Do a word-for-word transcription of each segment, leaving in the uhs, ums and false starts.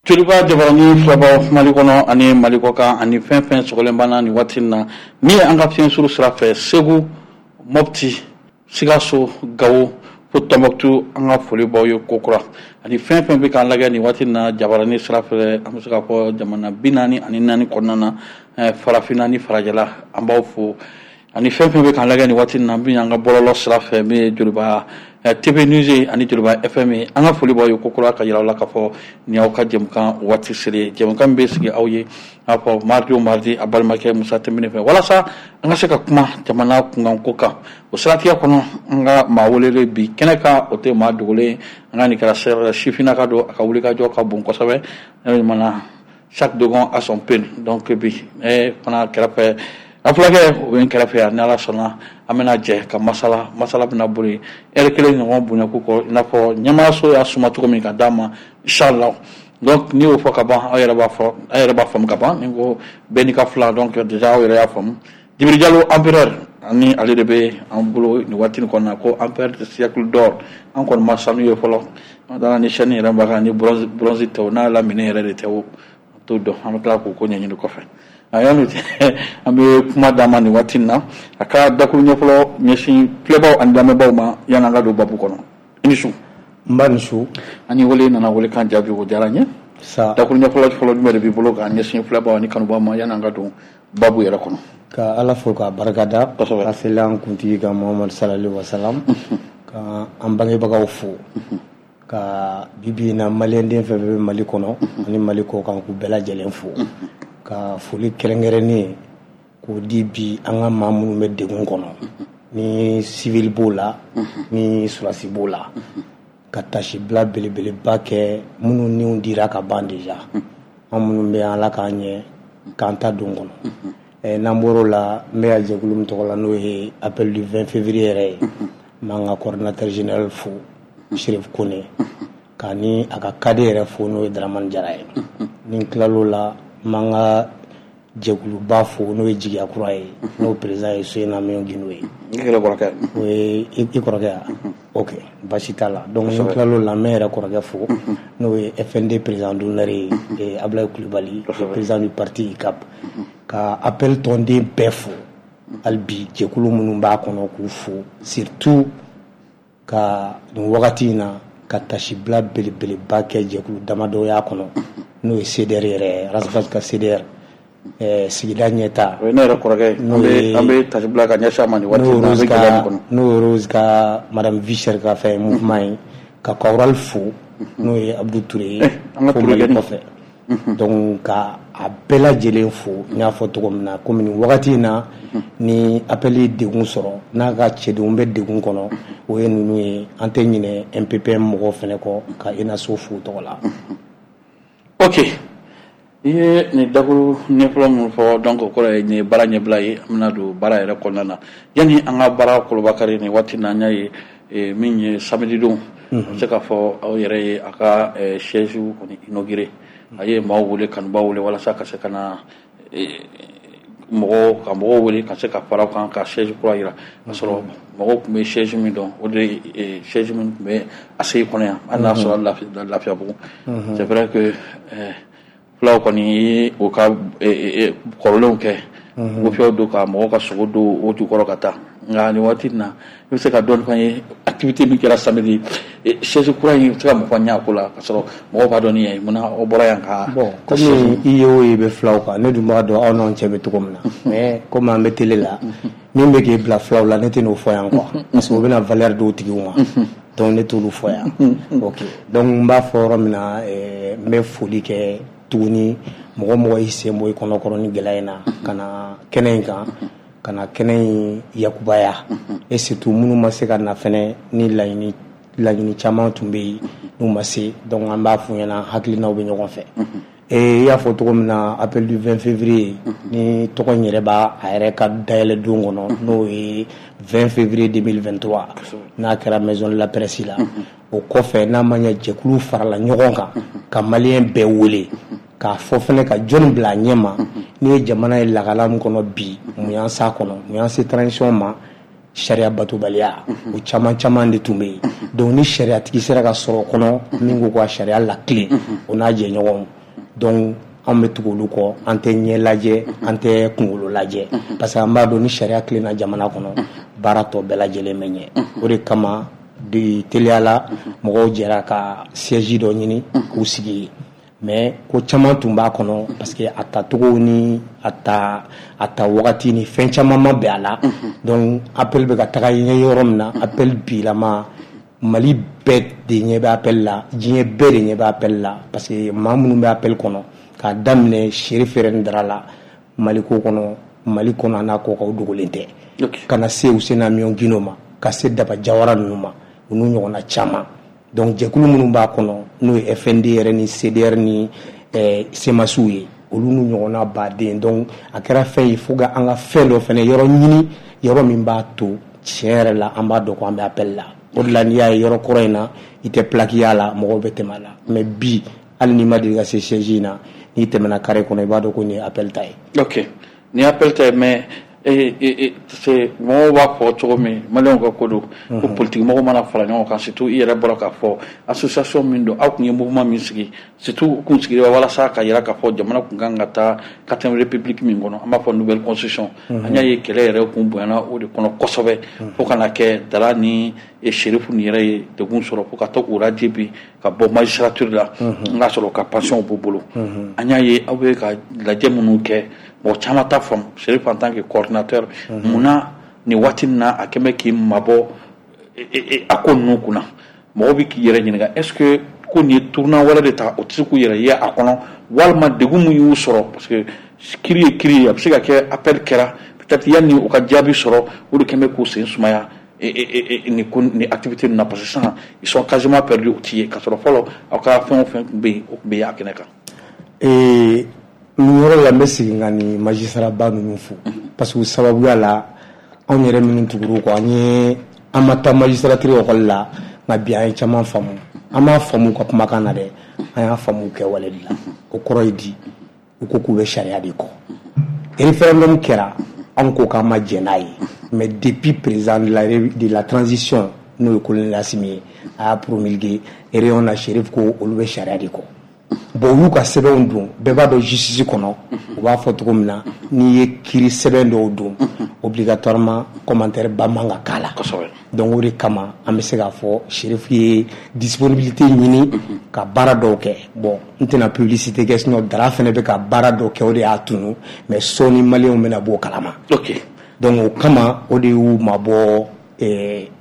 Joliba jabarani filɛbaw, Mali kɔnɔ ani Mali kɔ kan, ani fɛn fɛn sɔgɔlen banna nin waati in na, min ye an ka fiɲɛ suru sira fɛ, Segu, Mopti, Sikaso, Gawo fo Tɔnbɔkutu, an ka foli b'aw ye kokura. Ani fɛn fɛn bɛ k'an lajɛ nin waati in na jabarani sira fɛ, an bɛ se k'a fɔ jamana bi naani ani naani kɔnɔna na, farafinna ni farajɛla, an b'aw fo. Ani fɛn fɛn bɛ k'an lajɛ nin waati in na, min y'an ka bɔlɔlɔ sira fɛ, min ye Joliba T V News ye ani Joliba F M ye, an ka foli b'aw ye kokura, ka yira aw la k'a fɔ nin y'aw ka jɛmukan waati selen ye, jɛmukan min bɛ sigi aw ye n'a fɔ mardi o mardi, a balimakɛ Musa Tɛnbine fɛ, walasa an ka se ka kuma jamana kunkanko kan. O siratigɛ kɔnɔ, an ka maa welelen bi kɛnɛ kan, o tɛ maa dogolen, an ka nin kɛra sifinnaka don, a ka wulikajɔ ka bon kosɛbɛ. Ne mana chaque dogon a son peine. Donc bi ne fana kɛrɛfɛ, a fulakɛ o bɛ n kɛrɛfɛ yan. Ni Ala sɔnna, an bɛna jɛ ka masala. Masala bɛna boli ɛri kelen ɲɔgɔn bonyaku kɔ, i n'a fɔ ɲɛmaayaso y'a suma cogo min ka d'a ma, inchallah. Donc n'i y'o fɔ ka ban, aw yɛrɛ b'a fɔ, aw yɛrɛ b'a faamu ka ban. Ni ko bɛɛ n'i ka fila, donc déjà aw yɛrɛ y'a faamu. Djibril Diallo empereur, ani ale de bɛ an bolo nin waati nin kɔnɔna, ko empereur de siècle d'or. An kɔni ma sanu ye fɔlɔ, an taara ni chaîne yɛrɛ b'a kan ni bronze, bronze tɛ o, n'a lamini yɛrɛ de tɛ o, an t'o dɔn. An bɛ tila k'o ko ɲɛɲini kɔfɛ. A yanni an bɛ kuma d'a ma nin waati in na, a ka dakuru ɲɛfɔlɔ ɲɛsin filɛbaw ani lamɛnbaaw ma, yanni an ka don babu kɔnɔ. I ni su. N ba, ni su. An wele nana, wele kan jaabi, o diyara n ye. Sa. Dakuru ɲɛfɔlɔ fɔlɔ jumɛn de b'i bolo k'a ɲɛsin filɛbaw ani kanubaw ma, yanni an ka don babu yɛrɛ kɔnɔ? Ka Ala fo k'a barikada. Kosɛbɛ. Ka seli an kuntigi kan, Muhamadu salali wasalam, ka an bangebagaw fo, ka bibi in na maliyɛnden fɛn fɛn bɛ Mali kɔnɔ ani Mali kɔ kan, k'u bɛɛ lajɛlen fo, ka foli kɛrɛnkɛrɛnnen k'o di bi an ka maa minnu bɛ degun kɔnɔ, ni civil b'o la, ni surasi b'o la, ka tasibila belebeleba kɛ minnu niw dira ka ban déjà. An minnu bɛ yan, Ala k'an ɲɛ k'an ta don kɔnɔ. Eh, n'an bɔr'o la, n bɛ yan jɛkulu min tɔgɔ la, n'o ye appel du vingt février yɛrɛ ye, n b'an ka coordinateur général fo, Chérif Kone, ka ni a ka cadet yɛrɛ fo, n'o ye Dramane Jara ye. Ni n tilal'o la, n b'an ka jɛkuluba fo, n'o ye Jigiya Kura ye, n'o président ye Suyena Miyon Gindo ye. I yɛrɛ kɔrɔkɛ. O ye i kɔrɔkɛ ya? Ok, basi t'a la. Donc ni n tilal'o la, n bɛ n yɛrɛ kɔrɔkɛ fo, n'o ye F N D président d'honneur ye, Ablaye Kulibali, président du parti I C A P, ka appel tɔnden bɛɛ fo hali bi, jɛkulu minnu b'a kɔnɔ, k'u fo, surtout ka nin wagati in na ka tasibila belebeleba kɛ jɛkulu damadɔ y'a kɔnɔ, n'o ye C D R yɛrɛ ye, Ras Bath ka C D R, eh, sigida ɲɛta. O ye ne yɛrɛ kɔrɔkɛ ye. An bɛ an bɛ tasibila ka ɲɛsin a ma nin waati in na, an bɛ gɛlɛya min kɔnɔ. N'o ye Rose ka, madame Vischer ka fɛn mouvement ye, ka Kawral fo, n'o ye Abdou Touré ye. An ka fo Touré Mali kɛ. Kɔfɛ, donc ka a bɛɛ lajɛlen fo. N y'a fɔ cogo min na, komi nin wagati in na ni appel ye degun sɔrɔ, n'a ka cɛdenw bɛ degun kɔnɔ, o ye ninnu ye. An tɛ ɲinɛ M P P M mɔgɔw fɛnɛ kɔ, ka UNASO fo u tɔgɔ la. Ok, i ye nin dakuru ɲɛfɔlɔ min fɔ, donc o kɔrɔ ye nin ye baara ɲɛbila ye. An bɛna don baara yɛrɛ kɔnɔna na. Yanni an ka baara kolobakari nin waati na, an y'a ye eh, min ye samedi don, an bɛ se k'a fɔ aw yɛrɛ ye a ka eh, siège kɔni inauguré. A ye maaw wele, kanubaw wele, walasa ka se ka na eh, mɔgɔw ka mɔgɔw wele ka se ka fara kan ka siège kura yira, ka sɔrɔ mɔgɔw tun bɛ siège min dɔn, o de ye siège min tun bɛ A C I kɔnɔ yan, hali n'a sɔrɔ Lafiyabugu. C'est vrai que eh, fulaw kɔni ye o ka kɔrɔlenw kɛ wofiyɛw don ka mɔgɔw ka sogo don o jukɔrɔ ka taa. Nka nin waati in na, i bɛ se ka dɔɔnin fɔ an ye activité min kɛra samedi, siège kura in, i bɛ se ka mun fɔ an ye a ko la, ka sɔrɔ mɔgɔw b'a dɔn ni yan ye? Munna aw bɔra yan ka Bon, komi i ye o ye bɛ filaw kan, ne dun b'a dɔn aw n'anw cɛ bɛ cogo min na, mais komi an bɛ télé la, min bɛ k'e bila filaw la, ne tɛ n'o fɔ yan quoi, parce que o bɛna valeur d'o tigiw ma. Donc ne t'olu fɔ yan. Ok, donc n b'a fɔ yɔrɔ min na, n bɛ foli kɛ tuguni mɔgɔ mɔgɔ y'i sen bɔ i kɔnɔkɔrɔ ni gɛlɛya in na ka na kɛnɛ in kan, ka na kɛnɛ in yakubaya, et surtout minnu ma se ka na fɛnɛ, ni laɲini laɲini caman tun bɛ yen n'u ma se. Donc an b'a f'u ɲɛna, hakilinaw bɛ ɲɔgɔn fɛ. Et i y'a fɔ cogo min na, appel du vingt février ni tɔgɔ in yɛrɛ b'a a yɛrɛ ka dayɛlɛ don kɔnɔ, n'o ye vingt février deux mille vingt-trois, n'a kɛra maison de la presse la. O kɔfɛ, n'a ma ɲɛ jɛkulu farala ɲɔgɔn kan ka maliyɛn bɛɛ wele, k'a fɔ fɛnɛ ka jɔnni bila a ɲɛ ma, n'i ye jamana ye lagala min kɔnɔ bi, mun y'an s'a kɔnɔ, mun y'an se transition ma. sariya batobaliya, o caman caman de tun bɛ yen. Donc ni sariyatigi sera ka sɔrɔ o kɔnɔ min ko ka sariya latilen, o n'a jɛɲɔgɔnw, donc anw bɛ tugu olu kɔ. An tɛ ɲɛ lajɛ, an tɛ kunkolo lajɛ, parce que an b'a dɔn ni sariya tilenna jamana kɔnɔ, baara tɔ bɛɛ lajɛlen bɛ ɲɛ. O de kama de teliya la, mɔgɔw jɛra ka siège dɔ ɲini k'u sigi yen. Mais ko caman tun b'a kɔnɔ, parce que a tacogo ni a ta a ta wagati ni fɛn caman ma bɛn a la. Donc appel bɛ ka taga ɲɛ yɔrɔ min na, appel bilama, Mali bɛɛ de ɲɛ bɛ appel la, diɲɛ bɛɛ de ɲɛ bɛ appel la, parce que maa minnu bɛ appel kɔnɔ, k'a daminɛ Chérif Dara la, Mali ko kɔnɔ, Mali kɔnɔ a n'a kɔ kan, o dogolen tɛ, ka na se Housseini Amion Guindo ma, ka se Daba Jawara ninnu ma, u n'u ɲɔgɔnna caman. Donc jɛkulu minnu b'a kɔnɔ, n'o ye F N D yɛrɛ ni C D R ni eh, C M A S ye, olu n'u ɲɔgɔnna baden. Donc a kɛra fɛn ye fo ka an ka fɛn dɔ fɛnɛ yɔrɔ ɲini, yɔrɔ min b'a to tiɲɛ yɛrɛ la an b'a dɔn ko an bɛ appel la. O de la, n'i y'a ye yɔrɔ kɔrɔ in na, i tɛ plaque y'a la, mɔgɔw bɛ tɛmɛ a la. Mais bi, hali n'i ma deli ka se siège in na, n'i tɛmɛna carré kɔnɔ, i b'a dɔn ko nin ye appel ta ye. Ok, nin ye appel ta ye. Mais c'est mɔgɔw b'a fɔ cogo min, maliyɛnw ka ko don ko politique mɔgɔw mana fara ɲɔgɔn kan, surtout i yɛrɛ bɔra k'a fɔ association min don, aw tun ye mouvement min sigi, surtout u kun sigira walasa ka yira k'a fɔ jamana kun kan ka taa quatrième république min kɔnɔ, an b'a fɔ nouvelle constitution. An y'a ye kɛlɛ yɛrɛ kun bonyana o de kɔnɔ kosɛbɛ, fo ka na kɛ Dara ni Chérif ni yɛrɛ ye degun sɔrɔ, fo ka taa u radier bi ka bɔ magistrature la, n k'a sɔrɔ ka pension b'u bolo. An y'a ye aw bɛ ka lajɛ minnu kɛ, mɔgɔ caman t'a faamu. Chérif, en tant que coordinateur, munna nin waati in na a kɛn bɛ k'i mabɔ a ko ninnu kunna? Mɔgɔ bɛ k'i yɛrɛ ɲininka, est ce que ko nin ye tournant wɛrɛ de ta, o tɛ se k'u yɛrɛ ye a kɔnɔ, walima degun min y'u sɔrɔ? Parce que kiri ye kiri ye, a bɛ se ka kɛ appel kɛra, peut-être yanni u ka jaabi sɔrɔ, o de kɛn bɛ k'u sen sumaya nin ko nin activité ninnu na, parce que sisan ils sont quasiment perdus, u ti ye, k'a sɔrɔ fɔlɔ aw ka fɛn o fɛn tun bɛ yen, o tun bɛ ye a kɛnɛ kan. Nin yɔrɔ la, n bɛ segin ka nin magistrat ba ninnu fo, parce que o sababuya la, anw yɛrɛ minnu tugur'u kɔ, an ye an ma taa magistrature école la, nka bi an ye caman faamu. An m'a faamu ka kumakan na dɛ, an y'a faamu kɛwale de la. O kɔrɔ ye di? U ko k'u bɛ sariya de kɔ. Référendum kɛra, anw ko k'an ma jɛn n'a ye, mais depuis président de la, de la transition, n'o ye colonel Assimi ye, a y'a promulgué réunion na, Chérif ko olu bɛ sariya de kɔ. Bon, u y'u ka sɛbɛnw don. Bɛɛ b'a dɔn justice kɔnɔ, u b'a fɔ cogo min na, n'i ye kiiri sɛbɛn dɔw don, obligatoirement commentaire ba man ka k'a la. Donc o de kama an bɛ se k'a fɔ Chérif ye disponibilité ɲini ka baara dɔw kɛ. Bon, n tɛna publicité kɛ, sinon Dara fɛnɛ bɛ ka baara dɔw kɛ, o de y'a tunu, mais sɔɔni maliyɛnw bɛna b'o kalama. Ok donc o kama, o de y'u mabɔ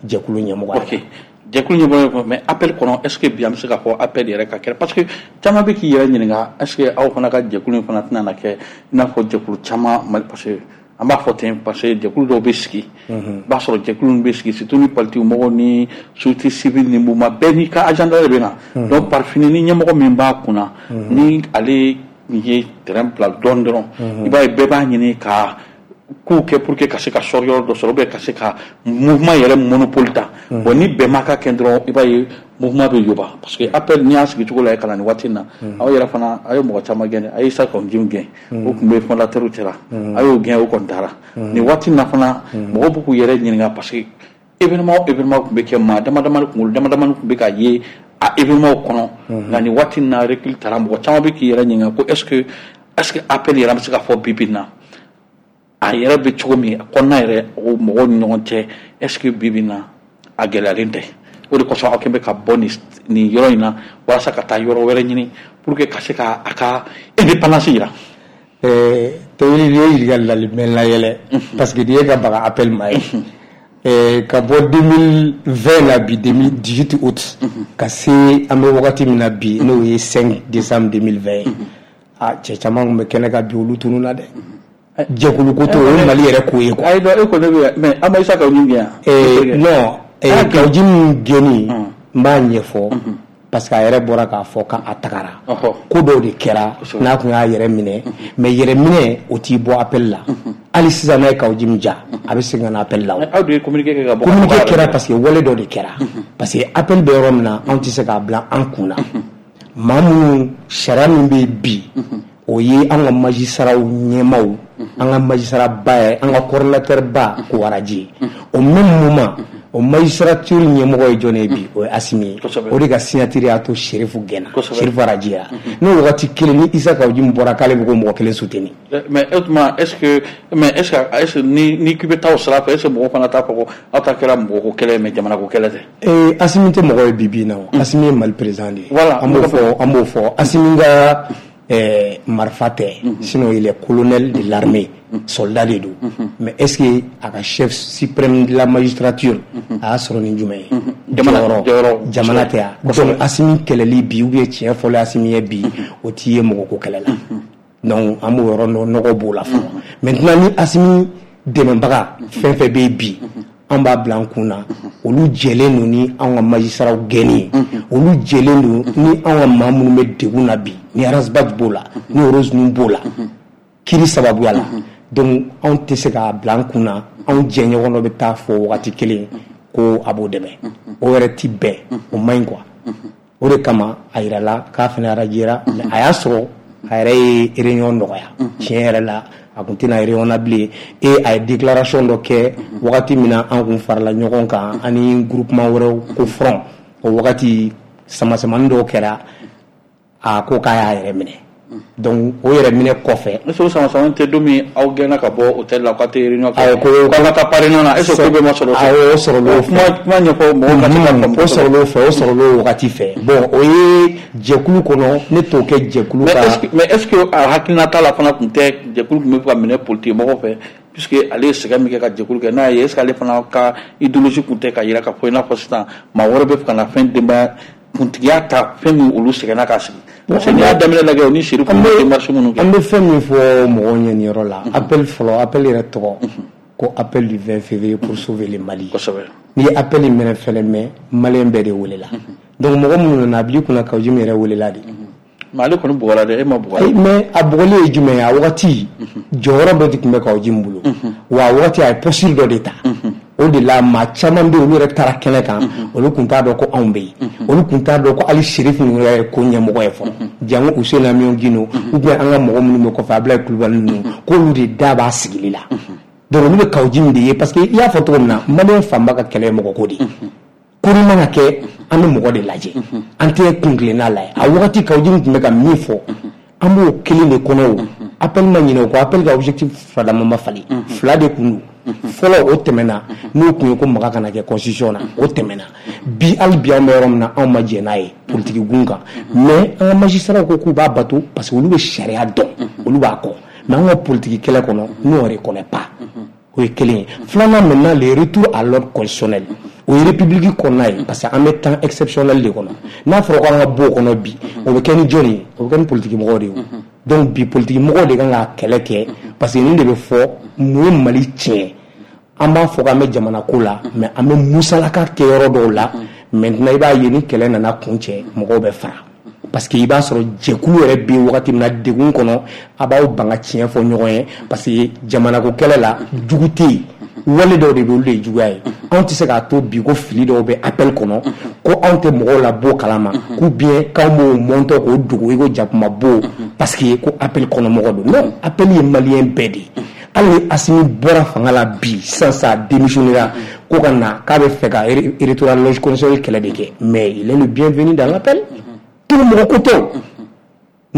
jɛkulu ɲɛmɔgɔ. Ok, jɛkulu ɲɛmɔgɔ. Mais appel kɔnɔ, est ce que bi an bɛ se k'a fɔ appel yɛrɛ ka kɛ? Parce que caman bɛ k'i yɛrɛ ɲininka, est ce que aw fana ka jɛkulu in fana tɛna na kɛ i n'a fɔ jɛkulu caman Mali? Parce que an b'a fɔ ten, parce que jɛkulu dɔw bɛ sigi, i b'a sɔrɔ jɛkulu bɛ sigi, surtout ni politique mɔgɔw ni société civile ni mouvement bɛɛ n'i ka agenda de bɛ na. Donc par fini, ni ɲɛmɔgɔ min b'a kunna, ni ale ye terrain bila dɔɔni dɔrɔn, i b'a ye bɛɛ b'a ɲini ka kow kɛ pour que ka se ka sɔrɔ yɔrɔ dɔ sɔrɔ, ou bien ka se ka mouvement yɛrɛ monopole ta. Bon, ni bɛn ma ka kɛ dɔrɔn, i b'a ye mouvement bɛ yoba, parce que appel n'i y'a sigi cogo la ka na nin waati in na, aw yɛrɛ fana a ye mɔgɔ caman gɛn, a ye Issa Kaou Djim gɛn, o tun bɛ fondateur cɛla, a y'o gɛn, o kɔni taara. Nin waati in na fana, mɔgɔw bɛ k'u yɛrɛ ɲininka, parce que événement événement tun bɛ kɛ, maa dama damani, kunkolo dama damani tun bɛ ka ye a événement kɔnɔ. Nka nin waati in na, recul taara, mɔgɔ caman bɛ k'i yɛrɛ ɲininka ko est ce que est ce que appel yɛrɛ bɛ se ka fɔ bi bi in na, a yɛrɛ bɛ cogo min a kɔnɔna yɛrɛ, o mɔgɔw ni ɲɔgɔn cɛ, est ce que bi bi in na a gɛlɛyalen tɛ? O de kosɔn aw kɛn bɛ ka bɔ nin nin yɔrɔ in na walasa ka taa yɔrɔ wɛrɛ ɲini pour que ka se ka a ka indépendance yira. Tewuli, n'i ye ɲininkali lali bɛ n layɛlɛ, parce que n'i ye ka baga appel ma ye ka bɔ deux mille vingt la bi deux mille dix-huit août ka se an bɛ wagati min na bi, n'o ye cinq décembre deux mille vingt ye, a cɛ caman tun bɛ kɛnɛ kan bi, olu tununna dɛ. Jɛkulu ko t'o ye Mali yɛrɛ ko ye quoi. Ayi, e ko ne bɛ, mais an ma Issa Kaou Djim gɛn yan. Non, Kaou Djim gɛnni, n b'a ɲɛfɔ, parce que a yɛrɛ bɔra k'a fɔ k'a tagara, ko dɔw de kɛra n'a kun y'a yɛrɛ minɛ. Mais yɛrɛ minɛ, o t'i bɔ appel la. Hali sisan, n'a ye Kaou Djim ja, a bɛ segin ka na appel la. O aw de ye communiqué kɛ ka bɔ. Communiqué kɛra parce que wale dɔ de kɛra, parce que appel bɛ yɔrɔ min na, anw tɛ se k'a bila an kun na. Maa minnu, sariya min bɛ yen bi, O ye an ka magistrat ɲɛmaw, an ka magistrat ba ye, an ka coordinateur ba k'o radier. Au même moment, o magistrature ɲɛmɔgɔ ye jɔn ye bi? O ye Assimi ye. O de ka signature y'a to Chérif gɛnna, Chérif radier. N'o wagati kelen ni Issa Kaou Djim bɔra k'ale bɛ k'o mɔgɔ kelen soutenir. Mais o tuma, est ce que mais est ce que est ce que ni ni k'i bɛ taa o sira fɛ, est ce que mɔgɔw fana t'a fɔ ko aw ta kɛra mɔgɔ ko kɛlɛ ye, mais jamana ko kɛlɛ tɛ? Ee, Assimi tɛ mɔgɔ ye bi bi in na o. Assimi ye Mali président de ye. Voilà. An b'o fɔ, an b'o fɔ. Assimi ka eh, marifa tɛ, sinon il est colonel de l'armée, soldat de don. Mais est-ce que a ka chef suprême de la magistrature, a y'a sɔrɔ ni jumɛn ye? Jɔyɔrɔ. Jamana tɛ yan. Donc Assimi kɛlɛli bi, ou bien tiɲɛ fɔlen Assimi ye bi, o t'i ye mɔgɔ ko kɛlɛ la. Donc an b'o yɔrɔ nɔgɔ b'o la fɔlɔ. Maintenant, ni Assimi dɛmɛbaga fɛn fɛn bɛ yen bi, an b'a bila an kun na, olu jɛlen don ni anw ka magistrats gɛnni ye, olu jɛlen don ni anw ka maa minnu bɛ degun na bi, ni Ras Bath b'o la, ni Rose ninnu b'o la, kiiri sababuya la. Donc anw tɛ se k'a bila an kun na anw jɛɲɔgɔn dɔ bɛ taa fɔ wagati kelen ko a b'o dɛmɛ. O yɛrɛ ti bɛn, o man ɲi quoi. O de kama a yirala k'a fana radiera, mais a y'a sɔrɔ a yɛrɛ ye réunion nɔgɔya. Tiɲɛ yɛrɛ la, a kun tɛna réunion na bilen. Et a ye déclaration dɔ kɛ wagati min na an kun farala ɲɔgɔn kan ani groupement wɛrɛw ko front, o wagati samasamani dɔw kɛra, a ko k'a y'a yɛrɛ minɛ. Donc o yɛrɛ minɛ kɔfɛ. Est ce que o samasamani tɛ don min aw gɛnna ka bɔ hôtel la k'aw tɛ réunion kɛ? Awɔ, ko k'aw ka taa parrainage na, est ce que ko bɛɛ ma sɔrɔ o fɛ? Awɔ, o sɔrɔla o fɛ. Kuma kuma ɲɛfɔ mɔgɔw ka se ka faamu. O sɔrɔla o fɛ, o sɔrɔla o wagati fɛ. Bon, o ye jɛkulu kɔnɔ, ne t'o kɛ jɛkulu mais ka. est ce que mais est ce que a hakilinata la fana tun tɛ jɛkulu tun bɛ fɛ ka minɛ politique mɔgɔw fɛ, puisque ale ye sɛgɛn min kɛ ka jɛkulu kɛ n'a ye, est ce que ale fana ka idéologie tun tɛ ka yira k'a fɔ i n'a fɔ sisan maa wɛrɛ bɛ fɛ ka na fɛn denbaya kuntigiya ta, fɛn min olu sɛgɛnna k'a sigi? Parce que n'i y'a daminɛ lajɛ, o ni Chérif an ye démarche minnu kɛ. An bɛ fɛn min fɔ mɔgɔw ɲɛ nin yɔrɔ la, appel fɔlɔ, appel yɛrɛ tɔgɔ ko appel du vingt février pour sauver le Mali. Kosɛbɛ. N'i ye appel in mɛnɛ fɛnɛ, mɛn malien bɛɛ de welela. Donc mɔgɔ minnu nana, a bil'i kunna Kaou Djim yɛrɛ welela de. Mais ale kɔni bugɔra dɛ, e ma bugɔ. Ayi, mais a bugɔli ye jumɛn ye? A wagati jɔyɔrɔ dɔ de tun bɛ Kaou Djim bolo wa, a wagati a ye posture dɔ de ta. O de la maa caman bɛ yen, olu yɛrɛ taara kɛnɛ kan, olu tun t'a dɔn ko anw bɛ yen, olu tun t'a dɔn ko hali Chérif ninnu yɛrɛ ye ko ɲɛmɔgɔ ye fɔlɔ, jango Housseini Amion Guindo ou bien an ka mɔgɔ minnu bɛ kɔfɛ, Abdoulaye Coulibaly ninnu, k'olu de da b'a sigili la. Donc olu bɛ Kaou Djim de ye, parce que i y'a fɔ cogo min na, malien fanba ka kɛlɛ ye mɔgɔ ko de ye. Ko ni mana kɛ, an bɛ mɔgɔ de lajɛ, an tɛ kun kelenna lajɛ. A wagati Kaou Djim tun bɛ ka min fɔ, an b'o kelen de kɔnɔ. O appel ma ɲinɛ o kɔ. Appel ka objectif fila ma falen, fila de kun don fɔlɔ, o tɛmɛna. N'o kun ye ko maga kana kɛ constitution na, o tɛmɛna. Bi, hali bi, an bɛ yɔrɔ min na, anw ma jɛn n'a ye politique gun kan, mais an ka magistrats ko k'u b'a bato parce que olu bɛ sariya dɔn, olu b'a kɔ. Mais an ka politique kɛlɛ kɔnɔ, nous, on reconnaît pas. O ye kelen ye. Filanan, maintenant, le retour à l'ordre constitutionnel, o ye république kɔnɔna ye, parce que an bɛ temps exceptionnel de kɔnɔ. N'a fɔra ko an ka bɔ o kɔnɔ bi, o bɛ kɛ ni jɔnni ye? O bɛ kɛ ni politique mɔgɔw de ye. Donc bi, politique mɔgɔw de kan ka kɛlɛ kɛ, parce que nin de bɛ fɔ mun ye Mali tiɲɛ. An b'a fɔ k'an bɛ jamana ko la, mais an bɛ musalaka kɛ yɔrɔ dɔw la. Maintenant, i b'a ye ni kɛlɛ nana kun cɛ, mɔgɔw bɛ fara, parce que i b'a sɔrɔ jɛkulu yɛrɛ bɛ wagati min na degun kɔnɔ, a b'aw ban ka tiɲɛ fɔ ɲɔgɔn ye, parce que jamana ko kɛlɛ la, jugu tɛ yen, wale dɔw de bɛ, olu de ye juguya ye. Anw tɛ se k'a to bi ko fili dɔw bɛ appel kɔnɔ, ko anw tɛ mɔgɔw la bɔ kalama, k'u bien k'anw b'o mɔntɔ k'o dogo i ko jakuma bo, parce que ko appel kɔnɔ mɔgɔ don. Non, appel ye malien bɛɛ de ye. Hali ni Assimi bɔra fanga la bi sisan, sa démissionnera ko ka na k'a bɛ fɛ ka retour à la logique constitutionnelle kɛlɛ de kɛ, mais il est le bienvenu dans l'appel. Tout mɔgɔ ko tɛ, o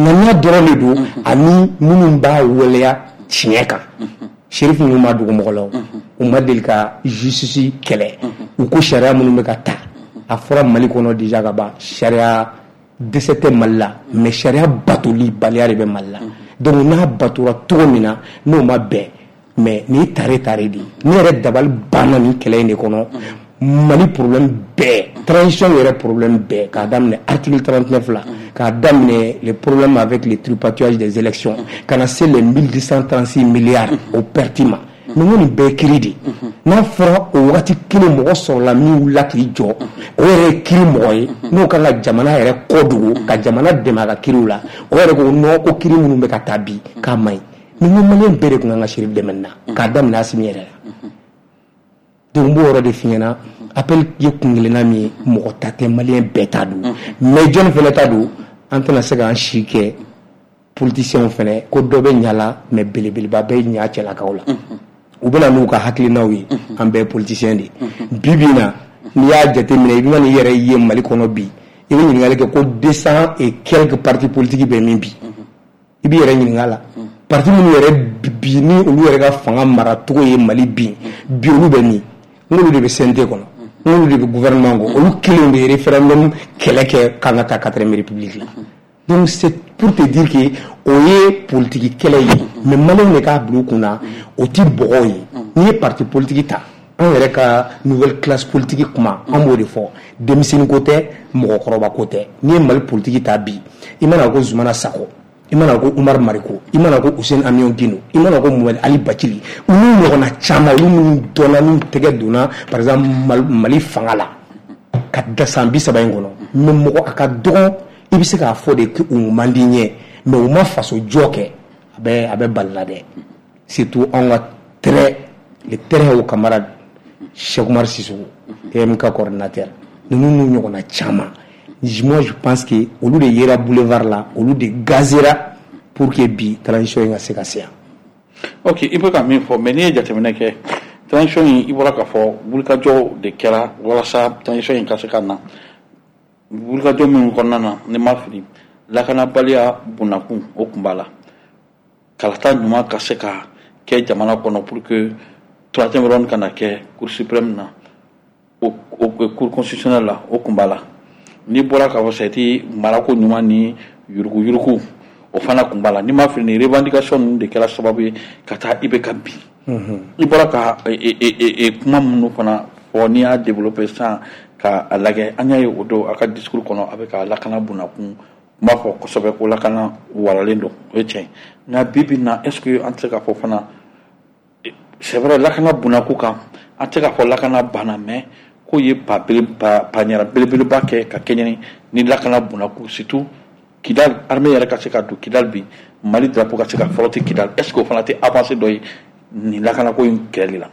ŋaniya dɔrɔn de don, ani minnu b'a waleya tiɲɛ kan. Chérif ninnu ma dogo mɔgɔ la, o u ma deli ka justice kɛlɛ. U ko sariya minnu bɛ ka ta, a fɔra Mali kɔnɔ déjà ka ban, sariya dɛsɛ tɛ Mali la, mais sariya batoli baliya de bɛ Mali la. Donc n'a batora cogo min na, n'o ma bɛn, mais nin ye tare tare de ye. Ne yɛrɛ dabali banna nin kɛlɛ in de kɔnɔ. Mali problème bɛɛ, transition yɛrɛ problème bɛɛ, k'a daminɛ article trente-neuf la, k'a daminɛ les problèmes avec le tripatouillage des élections, ka na se les mille deux cent trente-six milliards au perte ma, mais n ko nin bɛɛ ye kiiri de. N'a fɔra o wagati kelen mɔgɔ sɔrɔla min wulila k'i jɔ, o yɛrɛ ye kiiri mɔgɔ ye, n'o kan ka jamana yɛrɛ kɔ dogo ka jamana dɛmɛ a ka kiiriw la, o yɛrɛ ko non, ko kiiri minnu bɛ ka taa bi, k'a man ɲi. Mais n ko malien bɛɛ de tun kan ka Chérif dɛmɛ nin na, k'a daminɛ Assimi yɛrɛ la. Donc n b'o yɔrɔ de f'i ɲɛna. Appel ye kun kelenna min ye, mɔgɔ ta tɛ, malien bɛɛ ta don. Mais jɔnni fɛnɛ ta don? An tɛna se k'an si kɛ Politiciens fɛnɛ ko dɔ bɛ ɲa la, mais belebeleba bɛ ɲa cɛlakaw la. U bɛna n'u ka hakilinaw ye, an bɛɛ ye politicien de ye. Bi bi in na, n'i y'a jateminɛ, i bɛ n'i yɛrɛ ye Mali kɔnɔ bi, i bɛ ɲininkali kɛ ko deux cent et quelques partis politiques bɛ min bi. I b'i yɛrɛ ɲininka la. Parti minnu yɛrɛ bi ni olu yɛrɛ ka fanga maracogo ye Mali bin bi, olu bɛ min? N'olu de bɛ C N T kɔnɔ, n'olu de bɛ gouvernement kɔ, olu kelenw de ye référendum kɛlɛ kɛ k'an ka taa quatrième république la. Donc c'est pour te dire que o ye politique kɛlɛ ye, mais maliyɛnw de k'a bila u kunna, o ti bɔgɔ ye. N'i ye parti politique ta, anw yɛrɛ ka nouvelle classe politique kuma, an b'o de fɔ, denmisɛnnin ko tɛ, mɔgɔkɔrɔba ko tɛ. N'i ye Mali politique ta bi, i mana ko Zumana Sako, i mana ko Umaru Mariko, i mana ko Housseini Amion Guindo, i mana ko Mohamed Ali Bathily, olu ɲɔgɔnna caman, olu minnu dɔnna n'u tɛgɛ donna par exemple Mali fanga la ka da san bi saba in kɔnɔ, mais mɔgɔ a ka dɔgɔn i bɛ se k'a fɔ de k'u man di ɲɛ, mais u ma faso jɔ kɛ, a bɛ a bɛ bali la dɛ. Surtout anw ka très le très haut camarade Cheikh Oumar Sissoko, E M K coordinateur, ninnu n'u ɲɔgɔnna caman, moi je pense que olu de yera boulevard la, olu de gazera pour que bi transition in ka se ka se yan. Ok, i bɛ ka min fɔ, mais n'i ye jateminɛ kɛ transition in, i bɔra k'a fɔ wulikajɔ de kɛra walasa transition in ka se ka na. Wulikajɔ minnu kɔnɔna na, ni ma fili, lakanabaliya bunakun o kun b'a la, kalata ɲuman ka se ka kɛ jamana kɔnɔ pour que troisième round kana kɛ Cour suprême na, o Cour constitutionnelle la, o kun b'a la. N'i bɔra k'a fɔ sɛti marako ɲuman ni yuruguyurugu, o fana kun b'a la. N'i ma fili, ni revendication ninnu de kɛra sababu ye ka taa I B K bin. I bɔra ka kuma minnu fana fɔ, n'i y'a développer sisan ka a lajɛ, an y'a ye o don a ka discours kɔnɔ, a bɛ ka lakana bunakun n b'a fɔ kosɛbɛ ko lakana waralen don, o ye tiɲɛ. Nka bi bi in na, est ce que an tɛ se k'a fɔ fana, c'est vrai, lakana bunakun kan, an tɛ se k'a fɔ lakana banna, mais k'o ye ba ɲɛna belebeleba kɛ ka kɛɲɛ ni lakana bunakun, surtout Kidal, armée yɛrɛ ka se ka don Kidal bi, Mali drapeau ka se ka flotter Kidal, est ce que o fana tɛ avancée dɔ ye nin lakanako in kɛlɛli la?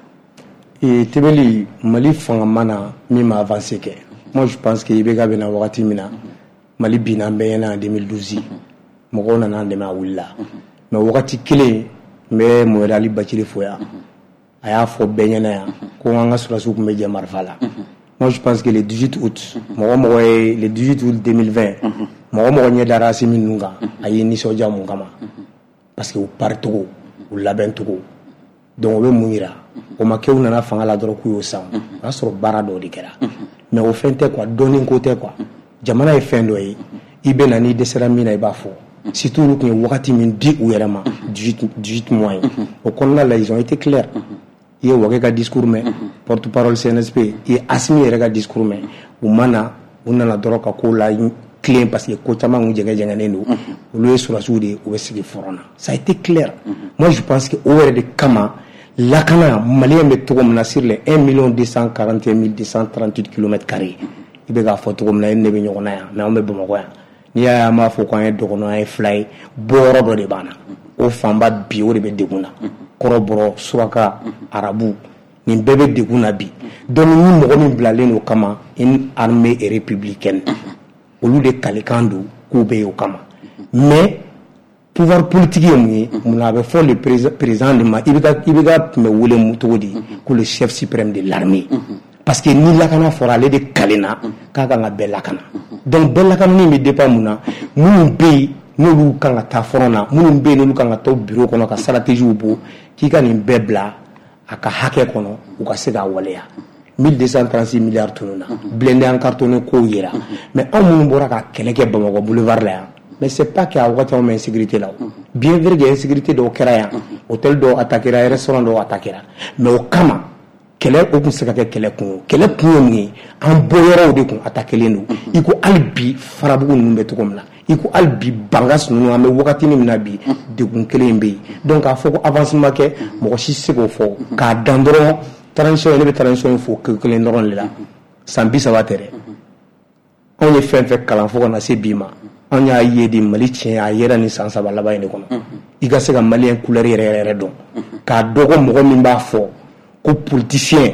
Ee Tebeli, Mali fanga ma na min ma avancé kɛ. Moi je pense que I B K bɛ na wagati min na, Mali binna an bɛɛ ɲɛna en deux mille douze, mɔgɔw nana an dɛmɛ, a wulila. Mais wagati kelen, n bɛ Mohamed Ali Bathily fo yan, a y'a fɔ bɛɛ ɲɛna yan ko an ka sɔrɔdasiw tun bɛ jɛ marifa la. Moi je pense que le dix-huit août, mɔgɔ mɔgɔ ye le dix-huit août deux mille vingt, mɔgɔ mɔgɔ ɲɛ dara Assimi ninnu kan, a y'i nisɔndiya. Mun kama? Parce que u paricogo, u labɛncogo. Donc o bɛ mun yira? O ma kɛ u nana fanga la dɔrɔn k'u y'o san, o y'a sɔrɔ baara dɔw de kɛra. Mais o fɛn tɛ quoi, dɔnni ko tɛ quoi. Jamana ye fɛn dɔ ye, i bɛ na, n'i dɛsɛra min na, i b'a fɔ. Surtout olu tun ye wagati min di u yɛrɛ ma, dix-huit mois ye, o kɔnɔna la, ils ont été clairs. I ye Wage ka discours mɛn, porte parole C N S P, i ye Assimi yɛrɛ ka discours mɛn. U ma na, u nana dɔrɔn ka ko la tilen, parce que ko caman kun jɛngɛ jɛngɛnnen don. Olu ye sɔrɔdasiw de ye, u bɛ sigi front na, ça a été clair. Moi je pense que o yɛrɛ de kama lakana, maliyɛn bɛ cogo min na, sur les un million deux cent quarante et un mille deux cent trente-huit kilomètres carrés, i bɛ k'a fɔ cogo min na, e ni ne bɛ ɲɔgɔn na yan, mais anw bɛ Bamakɔ yan. N'i y'a ye an b'a fɔ ko an ye dɔgɔnɔ, an ye fila ye, bɔyɔrɔ dɔ de b'an na, o fanba bi o de bɛ degun na, kɔrɔbɔrɔ, suraka, arabu, nin bɛɛ bɛ degun na bi. Donc ni mɔgɔ min bilalen don kama, une armée républicaine, olu de kalikan don k'u bɛ yen o kama. Mais pouvoir politique ye mun ye? Munna a bɛ fɔ le président de ma? I B K, I B K tun bɛ wele mun cogo di? Ko le chef suprême de l'armée, parce que ni lakana fɔra, ale de kalenna k'a kan ka bɛɛ lakana. Donc bɛɛ lakanani bɛ dépend mun na? Minnu bɛ yen n'olu kan ka taa front na, minnu bɛ yen n'olu kan ka taa bureau kɔnɔ ka stratégie bɔ, k'i ka nin bɛɛ bila a ka hakɛ kɔnɔ, u ka se k'a waleya. mille deux cent trente-six milliards tununa, blindé en cartonné kow yera. Mais anw minnu bɔra ka kɛlɛ kɛ Bamakɔ boulevard la yan, mais c'est pas qu'à wagati anw bɛ insécurité la. Bien vrai que insécurité dɔw kɛra yan, hôtel dɔw attaquera, restaurant dɔw attaquera, mais o kama kɛlɛ o tun se ka kɛ kɛlɛ kun ye. Kɛlɛ kun ye mun ye? An bɔyɔrɔw de kun attaquelen don, i ko hali bi Farabugu ninnu bɛ cogo min na, i ko hali bi Bankas ninnu, an bɛ wagati min na bi, degun kelen in bɛ yen. Donc k'a fɔ ko avancement kɛ, mɔgɔ si tɛ se k'o fɔ k'a dan dɔrɔn. Transition, ne bɛ transition in fo kelen dɔrɔn de la. San bi saba tɛ dɛ, anw ye fɛn fɛn kalan fo ka na se bi ma, anw y'a ye de Mali tiɲɛ a yera nin san saba laban in de kɔnɔ. I ka se ka maliyɛn couleur yɛrɛ yɛrɛ yɛrɛ dɔn, k'a dɔn ko mɔgɔ min b'a fɔ ko politicien,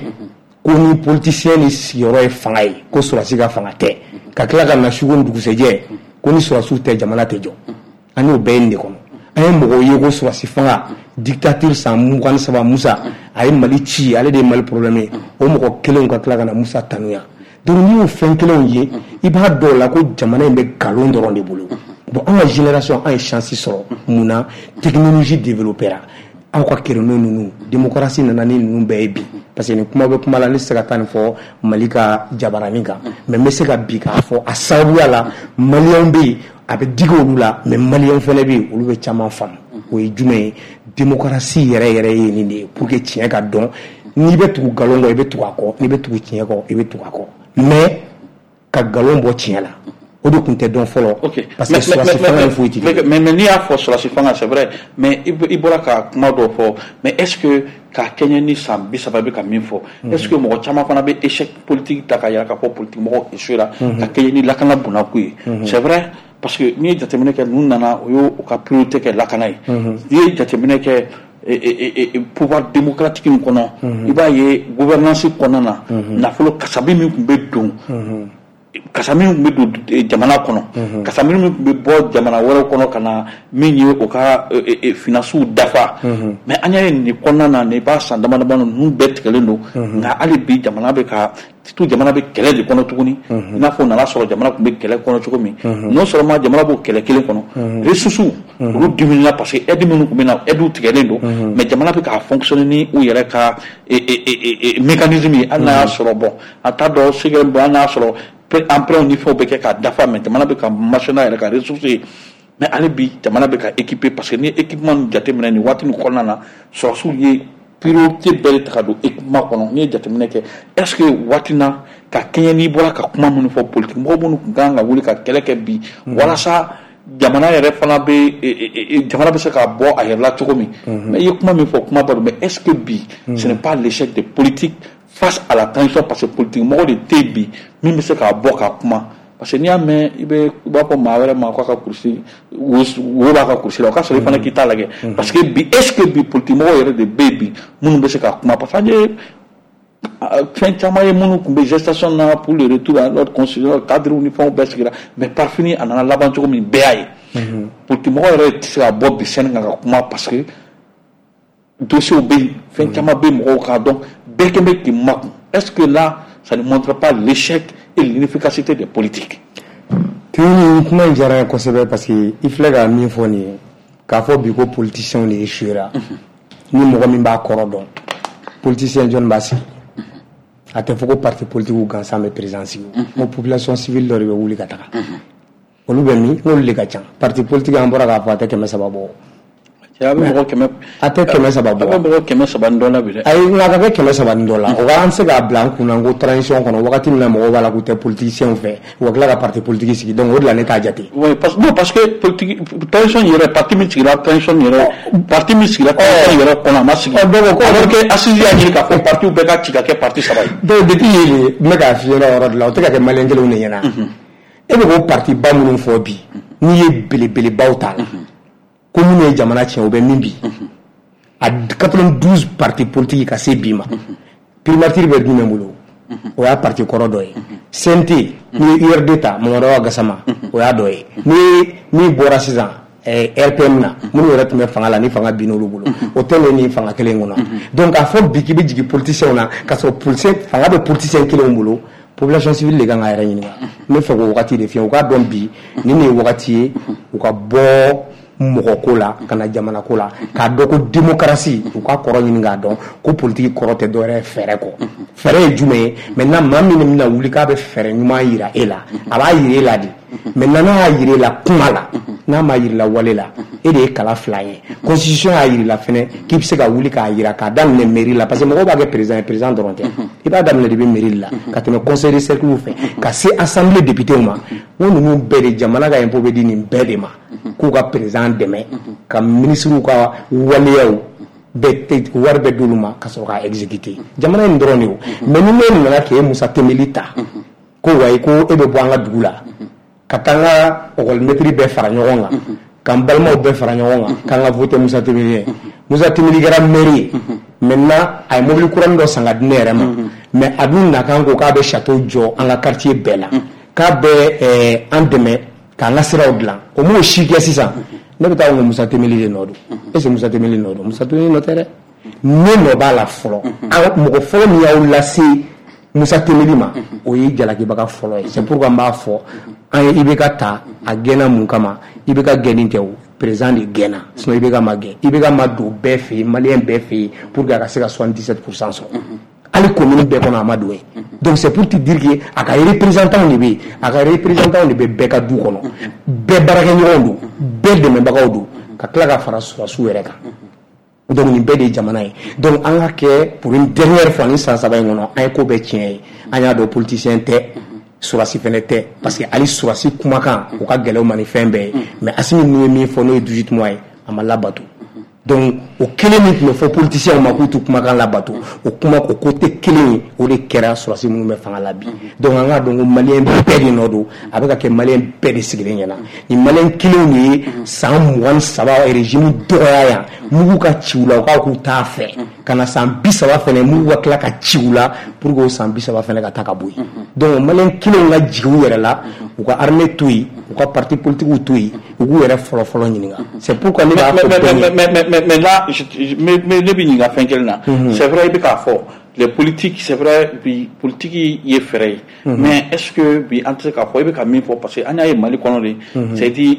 ko ni politicien ni sigiyɔrɔ ye fanga ye, ko sɔrɔdasi ka fanga tɛ, ka tila ka na su ko ni dugusɛjɛ ko ni sɔrɔdasiw tɛ, jamana tɛ jɔ. An y'o bɛɛ ye nin de kɔnɔ. An ye mɔgɔw ye ko sɔrɔsi fanga, dictature, san mugan ni saba Musa a ye Mali ci, ale de ye Mali problème ye. O mɔgɔ kelenw ka tila ka na Musa tanuya. Donc n'i y'o fɛn kelenw ye, i b'a dɔn o la ko jamana in bɛ nkalon dɔrɔn de bolo. Bon, an ka génération, an ye chance sɔrɔ. Mun na? Technologie développera, aw ka créneau ninnu, démocratie nana ni ninnu bɛɛ ye bi. Parce que nin kuma bɛ kuma la, ne tɛ se ka taa nin fɔ Mali ka jabaranin kan, mais n bɛ se ka bi k'a fɔ a sababuya la, maliyɛnw bɛ yen, a bɛ digi olu la, mais maliyɛnw fana bɛ yen, olu bɛ caman faamu. O ye jumɛn ye? Démocratie yɛrɛ yɛrɛ ye nin de ye, pour que tiɲɛ ka dɔn. N'i bɛ tugu nkalon kɔ, i bɛ tugu a kɔ. N'i bɛ tugu tiɲɛ kɔ, i bɛ tugu a kɔ. Mais ka nkalon bɔ tiɲɛ la, o de tun tɛ dɔn fɔlɔ, parce que sɔrɔsi fanga ye foyi tɛ. Mais mais n'i y'a fɔ sɔrɔsi fanga, c'est vrai, mais i bɔra ka kuma dɔw fɔ. Mais est ce que k'a kɛɲɛ ni san bi saba bɛ ka min fɔ, est ce que mɔgɔ caman fana bɛ échec politique ta k'a yira k'a fɔ politique mɔgɔw échoué ka kɛɲɛ ni lakana bunakun ye? C'est vrai, parce que n'i ye jateminɛ kɛ, ninnu nana, o y'o ka priorité kɛ lakana ye. N'i ye jateminɛ kɛ pouvoir démocratique in kɔnɔ, i b'a ye gouvernance kɔnɔna na, nafolo kasabi min tun bɛ don, kasa min tun bɛ don jamana kɔnɔ, kasa min tun bɛ bɔ jamana wɛrɛw kɔnɔ ka na min ye o ka finances dafa. Mais an y'a ye nin kɔnɔna na, nin b'a san dama dama, ninnu bɛɛ tigɛlen don. Nka hali bi jamana bɛ ka surtout jamana bɛ kɛlɛ de kɔnɔ tuguni, i n'a fɔ nana sɔrɔ jamana tun bɛ kɛlɛ kɔnɔ cogo min. Non seulement jamana b'o kɛlɛ kelen kɔnɔ, ressources olu diminué, parce que aide minnu tun bɛ na, aide tigɛlen don, mais jamana bɛ k'a fonctionner ni u yɛrɛ ka mécanisme ye. Hali n'a y'a sɔrɔ, bon, a t'a dɔn sɛgɛ, bon, hali n'a y'a sɔrɔ emprunt ni fɛnw bɛ kɛ k'a dafa, mais jamana bɛ ka marcher n'a yɛrɛ ka ressources ye. Mais hali bi jamana bɛ ka équiper, parce que ni équipement jateminɛ nin waati nin kɔnɔna na, sɔrɔsiw ye priorité bɛɛ de ta ka don équipement kɔnɔ. N'i ye jateminɛ kɛ, est ce que waati na, ka kɛɲɛ n'i bɔra ka kuma minnu fɔ, politique mɔgɔ minnu tun kan ka wuli ka kɛlɛ kɛ bi walasa jamana yɛrɛ fana bɛ, jamana bɛ se ka bɔ a yɛrɛ la cogo min? Mais i ye kuma min fɔ, kuma ba don. Mais est ce que bi ce n'est pas l'échec des politiques face à la transition? Parce que politique mɔgɔ de tɛ yen bi min bɛ se k'a bɔ ka kuma, parce que n'i y'a mɛn, i bɛ i b'a fɔ maa wɛrɛ ma k'a ka kurusi wo b'a ka kurusi la, o ka sɔrɔ i fana k'i ta lajɛ. Parce que bi, est ce que bi politique mɔgɔw yɛrɛ de bɛ yen bi minnu bɛ se ka kuma? Parce que an ye fɛn caman ye minnu tun bɛ gestation na pour le retour à l'ordre constitutionnel, cadre ni fɛnw bɛɛ sigira, mais par fini a nana laban cogo min, bɛɛ y'a ye. Politique mɔgɔ yɛrɛ tɛ se ka bɔ bi scène kan ka kuma, parce que dossiers bɛ yen, fɛn caman bɛ mɔgɔw kan, donc bɛɛ kɛn bɛ k'i makun. Est ce que là, ça ne montre pas l'échec et l'inefficacité des politiques? Tuni, kuma in diyara n ye kosɛbɛ, parce que i filɛ ka min fɔ nin ye, k'a fɔ bi ko politiciens de échouera, ni mɔgɔ min b'a kɔrɔ dɔn, politicien jɔnni b'a sigi? A tɛ fɔ ko parti politique gansan bɛ président sigi. N ko population civile dɔ de bɛ wuli ka taga, olu bɛ min? N'olu de ka ca. Parti politique, an bɔra k'a fɔ, a tɛ kɛmɛ saba bɔ. A bɛ mɔgɔ kɛmɛ. A tɛ kɛmɛ saba bɔ. A bɛ mɔgɔ kɛmɛ saba ni dɔ la bi dɛ. Ayi, nka a ka kɛ kɛmɛ saba ni dɔ la, o ka an se k'a bila an kunna ko transition kɔnɔ, wagati min na mɔgɔw b'a la k'u tɛ politiciens fɛ, u ka tila ka parti politique sigi. Donc o de la ne t'a jate. Oui, parce, non, parce que politique transition yɛrɛ, parti min sigira transition yɛrɛ, parti min sigira transition yɛrɛ kɔnɔ, a ma sigi. Donc alors que assise y'a ɲini k'a fɔ parti bɛɛ ka ci ka kɛ parti saba ye. Donc depuis yen de, n bɛ k'a f'i ɲɛna, o yɔrɔ de la, o tɛ ka kɛ maliyɛn kelenw de ɲɛna. E bɛ k'o parti ba minnu fɔ bi, n'i ye belebelebaw t'a la ko minnu ye jamana tiɲɛ, o bɛ min bi a quatre-vingt-douze parti politique ka se bi ma, primature bɛ jumɛn bolo? O y'a parti kɔrɔ dɔ ye. C N T, n'i ye U R D ta, Mamadu Awa Gasama, o y'a dɔ ye. Ni min bɔra sisan R P M na, minnu yɛrɛ tun bɛ fanga la, ni fanga bin olu bolo, o tɛ nin fanga kelen kɔnɔ. Donc k'a fɔ bi k'i bɛ jigin politiciens na k'a sɔrɔ politicien fanga bɛ politicien kelenw bolo, population civile de kan k'a yɛrɛ ɲininka. N bɛ fɛ k'o wagati de f'i ye, u k'a dɔn bi nin de ye wagati ye u ka bɔ mɔgɔ ko la ka na jamana ko la, k'a dɔn ko démocratie, u ka kɔrɔ ɲini k'a dɔn ko politique kɔrɔ tɛ dɔwɛrɛ ye fɛɛrɛ kɔ. Fɛɛrɛ ye jumɛn ye? Maintenant, maa min bɛna wuli k'a bɛ fɛɛrɛ ɲuman yira e la, a b'a yira e la de. Maintenant, n'a y'a yira e la kuma la, n'a ma yira la wale la, e de ye kala fila ye. Constitution y'a yira la fɛnɛ k'i bɛ se ka wuli k'a yira, k'a daminɛ mairie la, parce que mɔgɔw b'a kɛ président ye, président dɔrɔn tɛ. I b'a daminɛ depuis mairie la ka tɛmɛ conseil de cercle fɛ ka se assemblée députés ma. N ko ninnu bɛɛ de, jamana ka impôt bɛ di nin bɛɛ de ma k'u ka président dɛmɛ, ka ministres ka waleyaw bɛɛ wari bɛɛ d'olu ma ka sɔrɔ k'a exécuter. Jamana in dɔrɔn de o. Mais ni ne nana k'e Musa Tembeli ta ko wayi, ko e bɛ bɔ an ka dugu la ka taa n ka école bɛɛ fara ɲɔgɔn kan, ka n balimaw bɛɛ fara ɲɔgɔn kan, k'an ka voter Musa Tembeli ye, Musa Tembeli kɛra maire ye. Maintenant, a ye mobili kuranin dɔ san ka di ne yɛrɛ ma, mais a dun nakan ko k'a bɛ château jɔ an ka quartier bɛɛ la, k'a bɛ an dɛmɛ k'an ka siraw dilan, o m'o si kɛ. Sisan Ne bɛ taa ko Musa Temeli de nɔ don. Est ce que Musa Temeli nɔ don? Musa Temeli nɔ tɛ dɛ. Ne nɔ b'a la fɔlɔ. Mɔgɔ fɔlɔ min y'aw lase Musa Temeli ma, o ye jalakibaga fɔlɔ ye. C'est pourquoi n b'a fɔ an ye I B K ta, a gɛnna mun kama? I B K gɛnni tɛ o, président de gɛnna, sinon I B K ma gɛn. I B K ma don bɛɛ fɛ yen, malien bɛɛ fɛ yen, pour que a ka se ka soixante-dix-sept pour cent sɔrɔ. Hali commune bɛɛ kɔnɔ, a ma don yen. Donc c'est pour te dire que a ka représentant de bɛ yen, a ka représentant de bɛ bɛɛ ka du kɔnɔ, bɛɛ baarakɛɲɔgɔnw don, bɛɛ dɛmɛbagaw don, ka tila ka fara sɔrɔdasiw yɛrɛ kan. Donc nin bɛɛ de ye jamana ye. Donc an ka kɛ, pour une dernière fois, ni san saba in kɔnɔ an ye ko bɛɛ tiɲɛ ye, an y'a dɔn politicien tɛ, sɔrɔdasi fɛnɛ tɛ, parce que hali sɔrɔdasi kumakan o ka gɛlɛn u ma ni fɛn bɛɛ ye. Mais Asimi ninnu ye min fɔ, n'o ye dix-huit mois ye, a ma labato. Donc o kelen min tun bɛ fɔ politiciens ma k'u t'u kumakan labato, o kuma o ko tɛ kelen ye, o de kɛra sɔrɔdasi minnu bɛ fanga la bi. Donc an k'a dɔn ko malien bɛɛ de nɔ don, a bɛ ka kɛ malien bɛɛ de sigilen ɲɛna. Nin malien kelenw de ye san mugan ni saba régime dɔgɔya yan, mugu ka ci u la, u k'a k'u t'a fɛ, ka na san bi saba fɛnɛ, mugu ka tila ka ci u la pour que o san bi saba fɛnɛ ka taa ka bɔ yen. Donc malien kelenw ka jigin u yɛrɛ la, u ka armée to yen, u ka parti politique to yen, u k'u yɛrɛ fɔlɔ fɔlɔ ɲininka. C'est pourquoi ne b'a fɔ bɛɛ ye. mais mais mais là, mais ne bɛ ɲininka fɛn kelen na. C'est vrai, i bɛ k'a fɔ les politiques, c'est vrai, bi politique ye fɛɛrɛ ye, mais est-ce que bi an tɛ se k'a fɔ i bɛ ka min fɔ, parce que an y'a ye Mali kɔnɔ de, c'est dire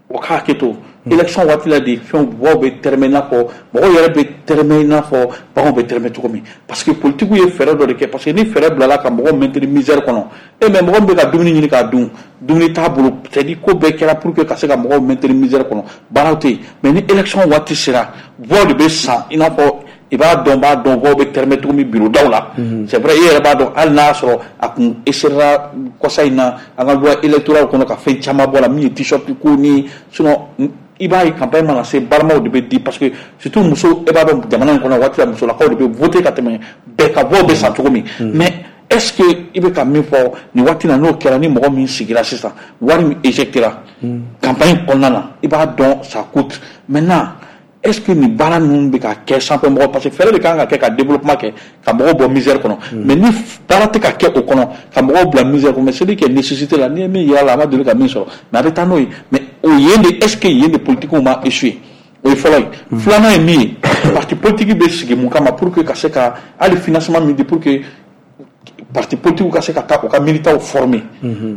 o k'a hakɛ to, élection waati la de, fɛnw mɔgɔw bɛ tɛrɛmɛ i n'a fɔ mɔgɔw yɛrɛ bɛ tɛrɛmɛ i n'a fɔ baganw bɛ tɛrɛmɛ cogo min, parce que politique ye fɛɛrɛ dɔ de kɛ, parce que ni fɛɛrɛ bilala ka mɔgɔw maintenir misère kɔnɔ, e mais mɔgɔ min bɛ ka dumuni ɲini k'a dun, dumuni t'a bolo, c'est à dire ko bɛɛ kɛra pour que ka se ka mɔgɔw maintenir misère kɔnɔ, baaraw tɛ yen. Mais ni élection waati sera, voix de bɛ san, i n'a fɔ i b'a dɔn b'a dɔn voix bɛ tɛrɛmɛ cogo min bureau daw la. C'est vrai, e yɛrɛ b'a dɔn, hali n'a y'a sɔrɔ a kun essayera kɔsa in na an ka loi électorale kɔnɔ ka fɛn caman bɔ a la min ye t-shirt ko ni, sinon i b'a ye campagne mana se, barimaw de bɛ di, parce que surtout muso, e b'a dɔn jamana in kɔnɔ waati la musolakaw de bɛ voter ka tɛmɛ bɛɛ ka, voix bɛ san cogo min. Mais est-ce que i bɛ ka min fɔ nin waati la, n'o kɛra, ni mɔgɔ min sigira sisan, wari min éjectera campagne kɔnɔna na, i b'a dɔn ça coûte. Maintenant, est-ce que nin baara ninnu bɛ ka kɛ sanfɛ mɔgɔ, parce que fɛɛrɛ de kan ka kɛ ka développement kɛ, ka mɔgɔw bɔ misère kɔnɔ, mais ni baara tɛ ka kɛ o kɔnɔ ka mɔgɔw bila misère kɔnɔ, mais celui qui est nécessité la, n'i ye min yira la, a ma deli ka min sɔrɔ, mais a bɛ taa n'o ye. Mais o yen de, est-ce que yen de politique ma échoué? O ye fɔlɔ ye. Filanan ye min ye, parti politique bɛ sigi mun kama? Pour que ka se ka hali financement min di pour que parti politique ka se ka taa u ka militants former.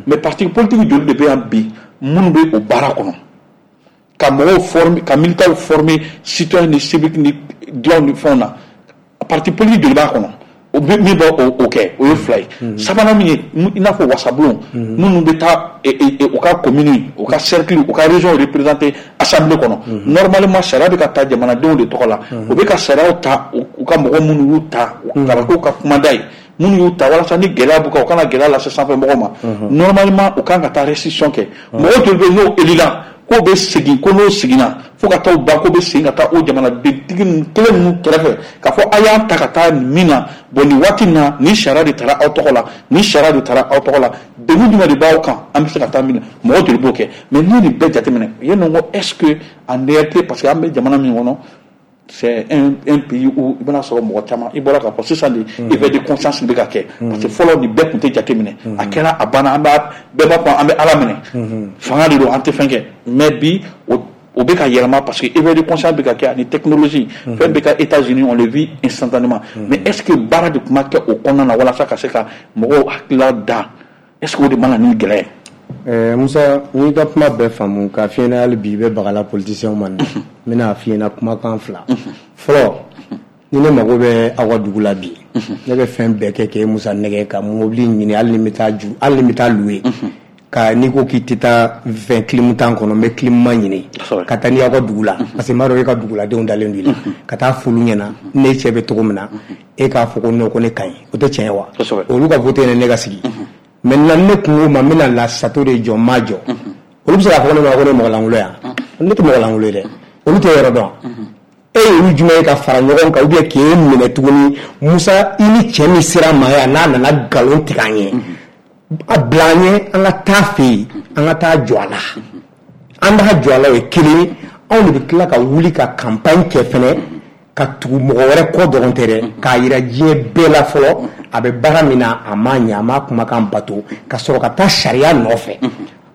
Mais parti politique joli de bɛ yan bi minnu bɛ o baara kɔnɔ ka mɔgɔw former, ka militants former citoyen ni civique ni dilanw ni fɛnw na? Parti politique joli b'a kɔnɔ o bɛ min bɛ o kɛ? O ye fila ye. Sabanan min ye, i n'a fɔ wasabulon minnu bɛ taa u ka commune, u ka cercle, u ka région représenter assemblée kɔnɔ, normalement sariya bɛ ka ta jamanadenw de tɔgɔ la, u bɛ ka sariyaw ta u ka mɔgɔ minnu y'u ta ka k'u ka kumada ye, minnu y'u ta walasa ni gɛlɛya b'u kan, u kana gɛlɛya lase sanfɛ mɔgɔw ma, normalement u kan ka taa restitution kɛ. Mɔgɔ joli bɛ yen n'o élira k'o bɛ segin, ko n'o seginna fo ka taa o ban, k'o bɛ segin ka taa o jamanadentigi ninnu kelen ninnu kɛrɛfɛ k'a fɔ a y'an ta ka taa nin min na, bon nin waati in na, nin sariya de taara aw tɔgɔ la, nin sariya de taara aw tɔgɔ la, degun jumɛn de b'aw kan, an bɛ se ka taa min na, mɔgɔ joli b'o kɛ? Mais n'i ye nin bɛɛ jateminɛ yen nɔ, ko est ce que en réalité, parce que an bɛ jamana min kɔnɔ, c'est un, un pays où i bɛna sɔrɔ mɔgɔ caman, i bɔra k'a fɔ sisan de, éveil de conscience bɛ ka kɛ, parce que fɔlɔ nin bɛɛ tun tɛ jateminɛ, a kɛra a banna, an b'a bɛɛ b'a fɔ an bɛ Ala minɛ, fanga de don, an tɛ fɛn kɛ. Mais bi o o bɛ ka yɛlɛma, parce que éveil de conscience bɛ ka kɛ ani technologie fɛn bɛ ka États-Unis, on le vit instantanément. Mais est-ce que baara de tun ma kɛ o kɔnɔna na walasa ka se ka mɔgɔw hakilila da? Est-ce que o de ma na ni gɛlɛya ye? Eh, Musa, n y'i ka kuma bɛɛ faamu k'a f'i ɲɛna. Hali bi i bɛ bagala politicien ma nin, n bɛna f'i ɲɛna kumakan fila. Fɔlɔ, ni ne mago bɛ aw ka dugu la bi, ne bɛ fɛn bɛɛ kɛ k'e Musa nɛgɛ ka mobili ɲini, hali ni n bɛ taa ju, hali ni n bɛ taa louer ka, n'i ko k'i tɛ taa fɛn clim tan kɔnɔ, n bɛ climat ɲini ka taa n'i y'aw ka dugu la, parce que n b'a dɔn e ka duguladenw dalen don i la, ka taa f'olu ɲɛna ne cɛ bɛ cogo min na, e k'a fɔ ko non, ko ne ka ɲi, o tɛ tiɲɛ ye wa? Olu ka voter ne ka sigi. Maintenant ne kun ko ma n bɛna la château de jɔ, n m'a jɔ, olu bɛ se k'a fɔ ne ma ko ne ye mɔgɔ lankolon yan. Ne tɛ mɔgɔ lankolon ye dɛ, olu tɛ yɔrɔ dɔn. E ye olu jumɛn ye ka fara ɲɔgɔn kan, ou bien k'e minɛ tuguni? Musa, i ni cɛ min sera ma yan, n'a nana nkalon tigɛ an ye, a bila an ɲɛ, an ka taa fɛ yen, an ka taa jɔ a la, an b'a jɔ a la, o ye kelen ye. Anw de bɛ tila ka wuli ka campagne kɛ fɛnɛ, ka tugu mɔgɔ wɛrɛ kɔ dɔrɔn tɛ dɛ, k'a yira diɲɛ bɛɛ la fɔlɔ a bɛ baara min na, a m'a ɲɛ, a m'a kumakan bato, ka sɔrɔ ka taa sariya nɔfɛ.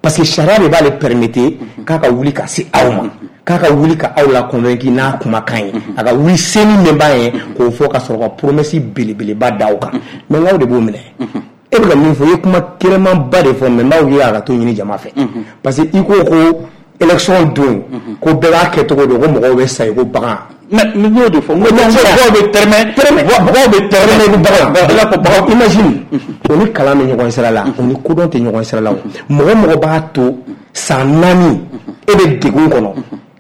Parce que sariya de b'ale permettre k'a ka wuli ka se aw ma, k'a ka wuli ka aw la convaincre n'a kumakan ye, a ka wuli seni min b'a ye k'o fɔ ka sɔrɔ ka promesse belebeleba da aw kan. Mais n'aw de b'o minɛ. E bɛ ka min fɔ, i ye kuma kɛnɛmanba de fɔ, mais n b'aw ye a ka to ɲini jama fɛ, parce que i ko ko élection don, ko bɛɛ b'a kɛ cogo don, ko mɔgɔw bɛ sa i ko bagan. Mais n y'o de fɔ, n ko mɔgɔw bɛ tɛrɛmɛ, mɔgɔw bɛ tɛrɛmɛ i ko bagan. I n'a fɔ bagan. Imagine, o ni kalan bɛ ɲɔgɔn sira la, o ni kodɔn tɛ ɲɔgɔn sira la. O mɔgɔ mɔgɔ b'a to san naani e bɛ degun kɔnɔ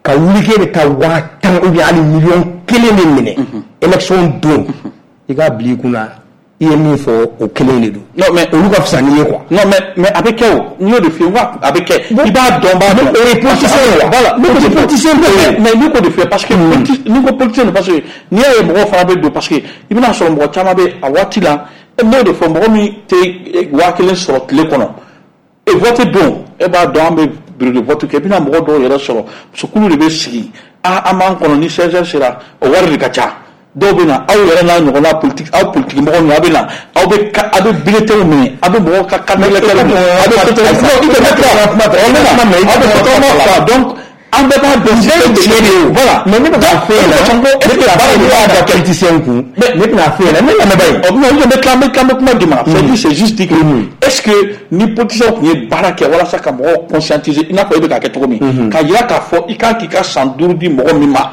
ka wuli k'e bɛ taa waa tan ou bien hali miliyɔn kelen de minɛ élection don, i k'a bila i kunna, i ye min fɔ, o kelen de don. Non, mais olu ka fisa n'i ye quoi. Non, mais mais a bɛ kɛ, o n y'o de f'i ye, n ko a bɛ kɛ, i b'a dɔn, b'a dɔn. O ye politicien ye wa? Voilà. Ne ko politicien tɛ. Mais n'i ko de f'i ye, parce que n'i ko politicien, parce que n'i y'a ye mɔgɔw fana bɛ don, parce que i bɛna sɔrɔ mɔgɔ caman bɛ a waati la, e n'o de fɔ, mɔgɔ min tɛ waa kelen sɔrɔ tile kɔnɔ, e vote don, e b'a dɔn an bɛ bureau de vote kɛ, i bɛna mɔgɔ dɔw yɛrɛ sɔrɔ, musokulu de bɛ sigi, a an b'an kɔnɔ ni seize heures sera, o wari de ka ca. Dɔw bɛ na, aw yɛrɛ n'a ɲɔgɔnna politique, aw politique mɔgɔ ninnu, aw bɛ na, aw bɛ aw bɛ bulletin minɛ, aw bɛ mɔgɔw ka carte d'électeur minɛ, aw bɛ aw bɛ fa. Donc an bɛɛ b'a dɔn système tiɲɛ de ye. Voilà. Mais ne bɛ k'a f'e ɲɛna, ne bɛ k'a f'e ɲɛna, da politicien kun, ne bɛna f'e ɲɛna, ne lamɛnba ye. Non, n bɛ tila, n bɛ tila, n bɛ kuma d'i ma. C'est c'est juste dire que est-ce que ni politicien tun ye baara kɛ walasa ka mɔgɔw conscientiser, i n'a fɔ e bɛ k'a kɛ cogo min, k'a jira k'a fɔ i kan k'i ka san duuru di mɔgɔ min ma,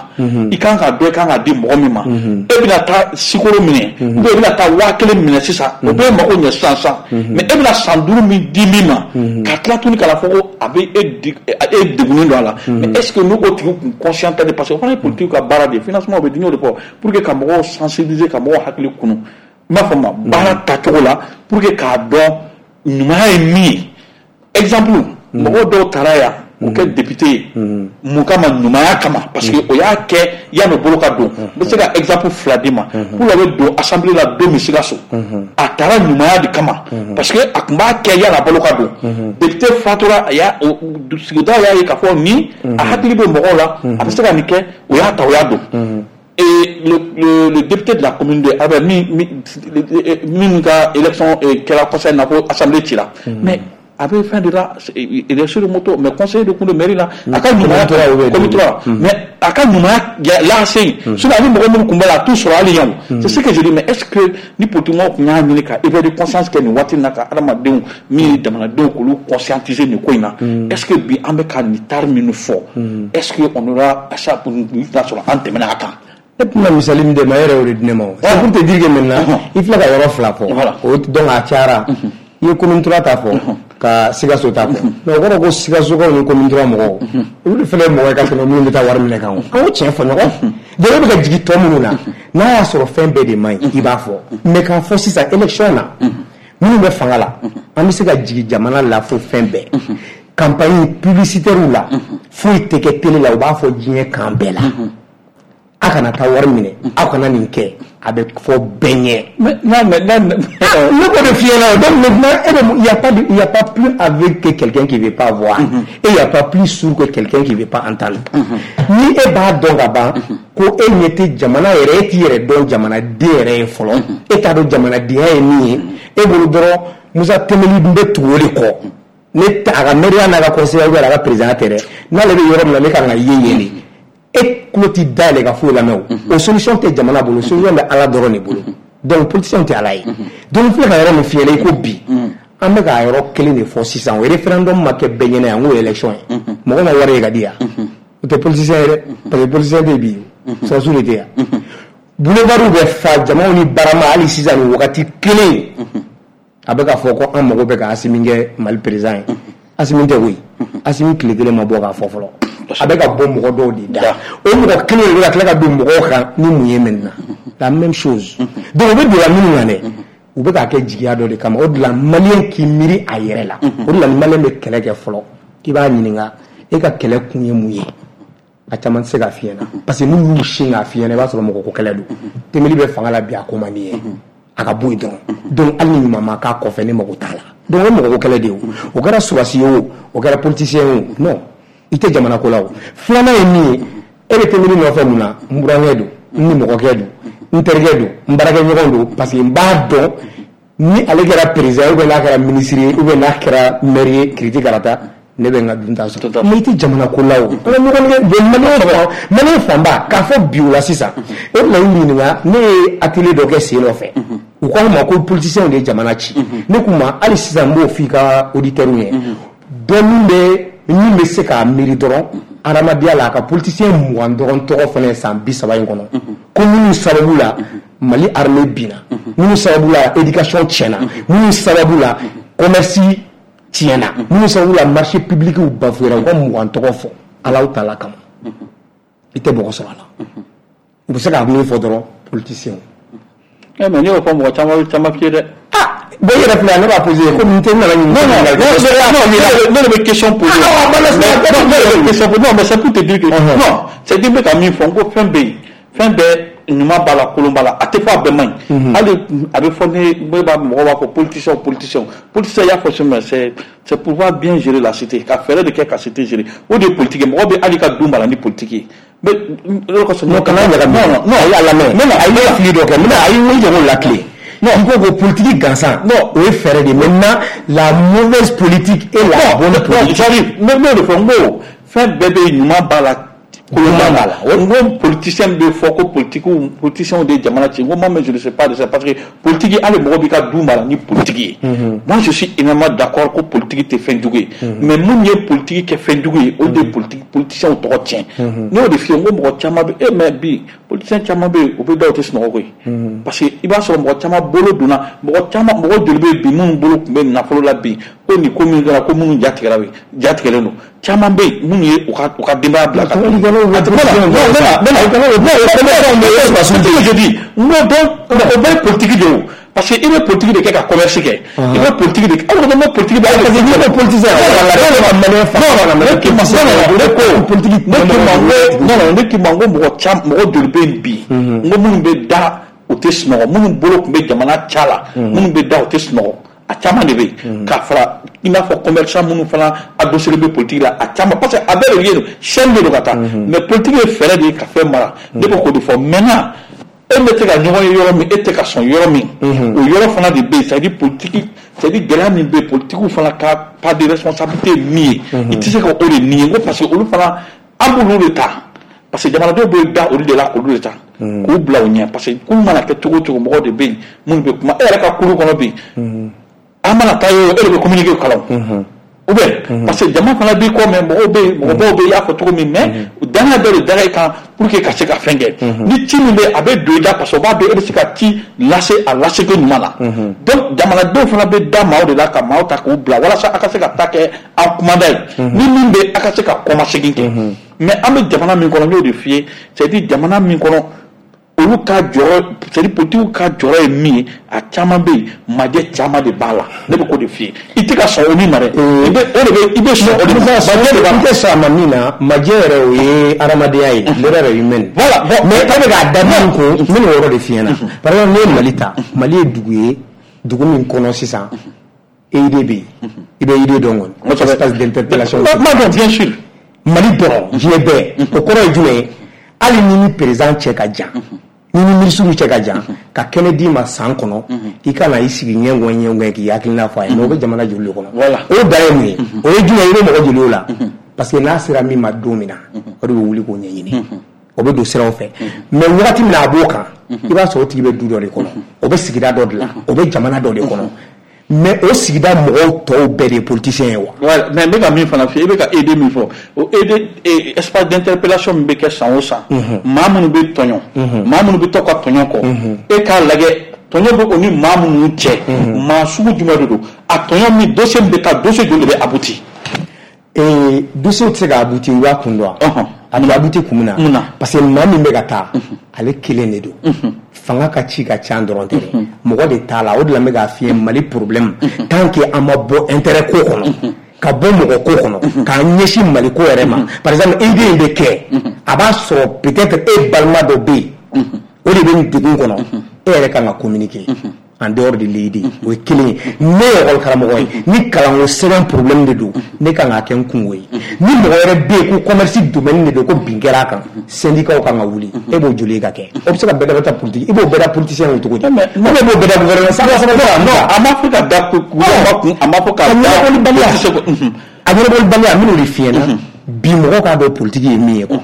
i kan ka dɔn i kan ka di mɔgɔ min ma, e bɛna taa sikoro minɛ ou bien e bɛna taa waa kelen minɛ sisan, o bɛ mago ɲɛ sisan sisan, mais e bɛna san duuru min di min ma, ka tila tuguni ka na fɔ ko a bɛ e e degunnen don a la. Mais est-ce que n'o tigi kun conscient tɛ? Parce que o fana ye politique ka baara de ye, financement bɛ di, n y'o de fɔ, pour que ka mɔgɔw sensibiliser, ka mɔgɔw hakili kunu, n b'a fɔ ma baara tacogo la, pour que k'a dɔn ɲumanya ye min ye. Exemple, mɔgɔw dɔw taara yan k'o kɛ député ye, mun kama? Ɲumanya kama, parce que o y'a kɛ yanni o bolo ka don. N bɛ se ka exemple fila d'i ma. Pour la bɛ don assemblée la don min Sikaso, a taara ɲumanya de kama, parce que a tun b'a kɛ yanni a bolo ka don. Député fatura, a y'a sigida y'a ye k'a fɔ ni a hakili bɛ mɔgɔw la, a bɛ se ka nin kɛ, o y'a ta, o y'a don. Et le, le, le député de la commune de Abel, min min ka élection kɛra conseil na ko assemblée cira, mais a bɛ fɛn de la, il est sur moto, mais conseiller de kun de mairie la, a ka ɲumanya commune trois, mais a ka ɲumanya lase yen, sinon ani mɔgɔ minnu tun b'a la, a t'u sɔrɔ hali yan. C'est ce que je dis. Mais est-ce que ni politique tun y'a ɲini ka éveil de conscience kɛ nin waati in na, ka adamadenw min ye jamanadenw k'olu conscientiser nin ko in na, est-ce que bi an bɛ ka nin taari minnu fɔ, est-ce que on aura ça n'a sɔrɔ an tɛmɛna a kan? Ne tɛna misali min d'e ma, e yɛrɛ y'o de di ne ma. O c'est pour te dire que maintenant i filɛ ka yɔrɔ fila fɔ, o donc a cayara. I ye commune trois ta fɔ, ka Sikaso ta fɔ, mais o kɔrɔ ko Sikasokaw ni commune trois mɔgɔw, olu de fana ye mɔgɔ ye ka tɛmɛ minnu bɛ taa wari minɛ kan. O an k'o tiɲɛ fɔ ɲɔgɔn. Donc e bɛ ka jigin tɔ minnu na, n'a y'a sɔrɔ fɛn bɛɛ de man ɲi, i b'a fɔ. Mais k'a fɔ sisan élection na, minnu bɛ fanga la, an bɛ se ka jigin jamana la fo fɛn bɛɛ, campagne publicitaire la, foyi tɛ kɛ télé la, u b'a fɔ diɲɛ kan bɛɛ la, a kana taa wari minɛ, aw kana nin kɛ, a bɛ fɔ bɛɛ ɲɛ. Mais non, mais non, ne k'o de f'i ɲɛna. Donc maintenant e bɛ, il y a pas de, il y a pas plus aveugle que quelqu'un qui veut pas voir, et il y a pas plus sourd que quelqu'un qui veut pas entendre. Ni e b'a dɔn ka ban ko e ɲɛ tɛ jamana yɛrɛ, e t'i yɛrɛ dɔn jamanaden yɛrɛ ye fɔlɔ, e t'a dɔn jamanadenya ye min ye, e bolo dɔrɔn Musa Tɛmɛli bɛ tugu o de kɔ, ne a ka maire n'a ka conseiller a ka président tɛ dɛ, n'ale bɛ yɔrɔ min na, ne kan ka ye yen de, e tulo t'i dayɛlɛ ka foyi lamɛn. O o solution tɛ jamana bolo, solution bɛ Ala dɔrɔn de bolo. Donc politicien tɛ Ala ye. Donc filɛ ka yɔrɔ min f'i ɲɛna, i ko bi an bɛ ka yɔrɔ kelen de fɔ sisan, o référendum ma kɛ bɛɛ ɲɛna yan, n k'o ye élection ye, mɔgɔ ma wari ye ka di yan, o tɛ politicien ye dɛ, parce que politicien tɛ bi, sɔrɔsiw de tɛ yan. Boulevard bɛ fa jamaw ni barama, hali sisan nin wagati kelen a bɛ k'a fɔ ko an mago bɛ ka Asimi kɛ Mali président ye. Asimi tɛ koyi, Asimi tile kelen ma bɔ k'a fɔ fɔlɔ, a bɛ ka bɔ mɔgɔ dɔw de da, o mɔgɔ kelen de bɛ ka tila ka don mɔgɔw kan ni mun ye maintenant, la même chose. Donc u bɛ don la minnu kan dɛ, u bɛ k'a kɛ jigiya dɔ de kama. O de la malien k'i miiri a yɛrɛ la, o de la ni malien bɛ kɛlɛ kɛ fɔlɔ, i b'a ɲininka e ka kɛlɛ kun ye mun ye, a caman tɛ se k'a f'i ɲɛna, parce que n'u y'u sin k'a f'i ɲɛna, i b'a sɔrɔ mɔgɔ ko kɛlɛ don. Tɛmɛli bɛ fanga la bi, a ko man di ye, a ka bɔ yen dɔrɔn. Donc hali ni ɲuman ma k'a kɔfɛ, ne mago t'a la. Donc o ye mɔgɔ ko kɛlɛ de ye, o o kɛra sɔrɔdasi ye, o o kɛra politicien ye, o non, i tɛ jamana ko la. O filanan ye min ye, e bɛ tɛmɛni nɔfɛ mun na? N burankɛ don, n ni mɔgɔkɛ don, n terikɛ don, n baarakɛɲɔgɔn don, parce que n b'a dɔn ni ale kɛra président ye ou bien n'a kɛra ministre ye ou bien n'a kɛra maire ye, kiriti karata Ne bɛ n ka dunta sɔrɔ. Mais i tɛ jamana ko la o. An ka ɲɔgɔn nɛgɛ maliyɛn maliyɛn fanba k'a fɔ bi o la sisan. E bɛna y'u ɲininka, ne ye atelier dɔ kɛ sen nɔfɛ. U k'anw ma ko politiciens de ye jamana ci. Ne k'u ma hali sisan n b'o f'i ka auditeurs ye. Dɔ min bɛ min bɛ se k'a miiri dɔrɔn adamadenya la a ka politicien mugan dɔrɔn tɔgɔ fana san bi saba in kɔnɔ. Ko minnu sababu la Mali armée binna. Minnu sababu la éducation tiɲɛna. Minnu sababu la commerce tiɲɛna. Minnu sababu la marché public bafouera, u ka mugan tɔgɔ fɔ Alahu taala kama. I tɛ mɔgɔ sɔrɔ a la. U bɛ se k'a min fɔ dɔrɔn politicien. Eh mais n'i y'o fɔ mɔgɔ caman caman f'i ye dɛ. Ah bon, i yɛrɛ filɛ ne b'a poser komi n tɛ n nana ɲininka. Non non, ne de bɛ question poser. Ah non, ne de bɛ question poser. Non mais c'est pour te dire que non, c'est dire n bɛ ka min fɔ, n ko fɛn bɛ yen, fɛn bɛɛ ɲuman b'a la, kolon b'a la, a tɛ fɔ a bɛɛ man ɲi. Hali a bɛ fɔ ne ne b'a mɔgɔw b'a fɔ politicien politicien politicien y'a fɔ mais c'est c'est pouvoir bien gérer la cité, ka fɛɛrɛ de kɛ ka cité gérer, o de ye politique ye. Mɔgɔ bɛ hali ka du mara ni politique ye. Mais non, kana ɲagami. Non non, ayi a lamɛn. Non non, ayi ne ye fili dɔ kɛ, n bɛna ayi n jɔ k'o latilen. Non, i ko ko politique gansan. Non, o ye fɛɛrɛ de ye. Maintenant la mauvaise politique et la bonne politique. J'arrive, ne n'o de fɔ, n ko fɛn bɛɛ bɛ ɲuman b'a la, kolon b'a la. N ko politicien bɛ fɔ ko politique politiciens de ye jamana ci, n ko moi mais je ne sais pas de ça, parce que politique hali mɔgɔ b'i ka du mara ni politique ye. Moi je suis énormément d'accord ko politique tɛ fɛn jugu ye, mais mun ye politique kɛ fɛn jugu ye, o de ye politique politiciens tɔgɔ tiɲɛ. Ne y'o de f'i ye, n ko mɔgɔ caman bɛ e mais bi politicien caman bɛ yen, u bɛ da u tɛ sunɔgɔ koyi, parce que i b'a sɔrɔ mɔgɔ caman bolo donna, mɔgɔ caman mɔgɔ joli bɛ bi minnu bolo tun bɛ nafolo la bi, ko nin ko min kɛra ko minnu ja tigɛra ja tigɛlen don, caman bɛ yen minnu ye u ka u ka denbaya bila ka taa. Je dis n ko donc o bɛɛ ye politique de ye o, parce que i bɛ politique de kɛ ka commerce kɛ, i bɛ politique de kɛ, aw ko ko politique bɛ, parce que n'i ko politicien ne k'i ma ne ko politique ne k'i ma ko non non, ne k'i ma ko mɔgɔ caman mɔgɔ joli bɛ yen bi, n ko minnu bɛ da u tɛ sunɔgɔ, minnu bolo tun bɛ jamana ca la, minnu bɛ da u tɛ sunɔgɔ, a caman de bɛ yen, k'a fara i n'a fɔ commerçant minnu fana adossé bɛ politique la, a caman, parce que a bɛɛ de ye chaîne de don ka taa, mais politique ye fɛɛrɛ de ye ka fɛn mara. Ne bɛ k'o de fɔ. Maintenant e bɛ se ka ɲɔgɔn ye yɔrɔ min, e tɛ ka sɔn yɔrɔ min, o yɔrɔ fana de bɛ yen, c'est à dire politique, c'est à dire gɛlɛya min bɛ yen, politique fana ka part de responsabilité ye min ye, i tɛ se ka o de nier, n ko parce que olu fana an b'olu de ta, parce que jamanadenw bɛ da olu de la k'olu de ta k'u bila u ɲɛ, parce que kulu mana kɛ cogo o cogo, mɔgɔw de bɛ yen minnu bɛ kuma e yɛrɛ ka kulu kɔnɔ bi, an mana taa yɔrɔ e de bɛ communiquer kalan ou bien, parce que jama fana b'i kɔ, mais mɔgɔw bɛ yen, mɔgɔbaw bɛ yen, i y'a fɔ cogo min, mais danaya bɛɛ de dara i kan pour que ka se ka fɛn kɛ, ni ci min bɛ a bɛ don i da, parce que o b'a dɔn e bɛ se ka ci lase a laseko ɲuman na. Donc jamanadenw fana bɛ da maaw de la ka maaw ta k'u bila walasa a ka se ka ta kɛ an kumada ye, ni min bɛ a ka se ka kɔmasegin kɛ. Mais an bɛ jamana min kɔnɔ, n y'o de f'i ye, c'est à dire jamana min kɔnɔ olu ka jɔyɔrɔ, c'est à dire politique ka jɔyɔrɔ ye min ye, a caman bɛ yen, majɛ caman de b'a la. Ne bɛ k'o de f'i ye, i tɛ ka sɔn o min ma dɛ, i bɛ o de bɛ i bɛ sɔn o de ma, majɛ de b'a la. I tɛ sɔn a ma min na, majɛ yɛrɛ o ye adamadenya ye, l'erreur humaine. Voilà, bon, mais e bɛ k'a da min kun, n bɛ n'o yɔrɔ de f'i ɲɛna. Par exemple, n'i ye Mali ta, Mali ye dugu ye, dugu min kɔnɔ sisan, E I D bɛ yen, i bɛ E I D dɔn kɔni, espace d'interpellation. Ma dɔn, bien sûr. Mali dɔrɔn, diɲɛ bɛɛ, o kɔrɔ ye jumɛn ye? Hali ni ni président cɛ ka jan, ni ni ministre cɛ ka jan, ka kɛnɛ d'i ma san kɔnɔ, i ka na i sigi ɲɛngɔn ɲɛngɔn k'i hakilina fɔ a ye, mais o bɛ jamana joli de kɔnɔ? O dan ye mun ye? O ye jumɛn ye? I bɛ mɔgɔ joli o la? Parce que n'a sera min ma don min na, o de bɛ wuli k'o ɲɛɲini, o bɛ don siraw fɛ. Mais wagati min na a b'o kan, i b'a sɔrɔ o tigi bɛ du dɔ de kɔnɔ, o bɛ sigida dɔ de la, o bɛ jamana dɔ de kɔnɔ. Mais o sigida mɔgɔw tɔw bɛɛ de ye politicien ye wa? Ouais, mais n bɛ ka min fana f'i ye, i bɛ ka E D min fɔ, o E D espace d'interpellation min bɛ kɛ san o san, maa minnu bɛ tɔɲɔ, maa minnu bɛ to ka tɔɲɔ kɔ, e k'a lajɛ tɔɲɔ bɛ o ni maa minnu cɛ, maa sugu jumɛn de don? A tɔɲɔ min dossier min bɛ taa, dossier joli de bɛ abouti? Ee, dossier tɛ se ka abouti, i b'a kun dɔn wa? A bɛ abouti kun min na, parce que maa min bɛ ka taa, ale kelen de don. Fanga ka ci ka ca dɔrɔn tɛ dɛ, mɔgɔ de t'a la. O de la n bɛ k'a f'i ye, Mali problème, tant que an ma bɔ intérêt ko kɔnɔ, ka bɔ mɔgɔ ko kɔnɔ, k'an ɲɛsin Mali ko yɛrɛ ma. Par exemple, E D in bɛ kɛ, a b'a sɔrɔ peut-être e balima dɔ bɛ yen, o de bɛ nin degun kɔnɔ, e yɛrɛ kan ka communiquer en dehors de l'E D, o ye kelen ye. Ne ye école karamɔgɔ ye, ni kalanko sɛbɛn problème de don, ne kan k'a kɛ n kungo ye. Ni mɔgɔ wɛrɛ bɛ yen ko commerce domaine de don, ko bin kɛra a kan, syndicat kan ka wuli, e b'o joli ka kɛ? O bɛ se ka bɛɛ da taa politique, i b'o bɛɛ da politicien kun cogo di? Ou bien i b'o bɛɛ da gouvernement? Non, a ma fɔ ka da gouvernement kun, a ma fɔ ka da ɲɛnabɔlibaliya. A ɲɛnabɔlibaliya, n bɛn'o de f'i ɲɛna bi, mɔgɔw k'a dɔn politique ye min ye quoi.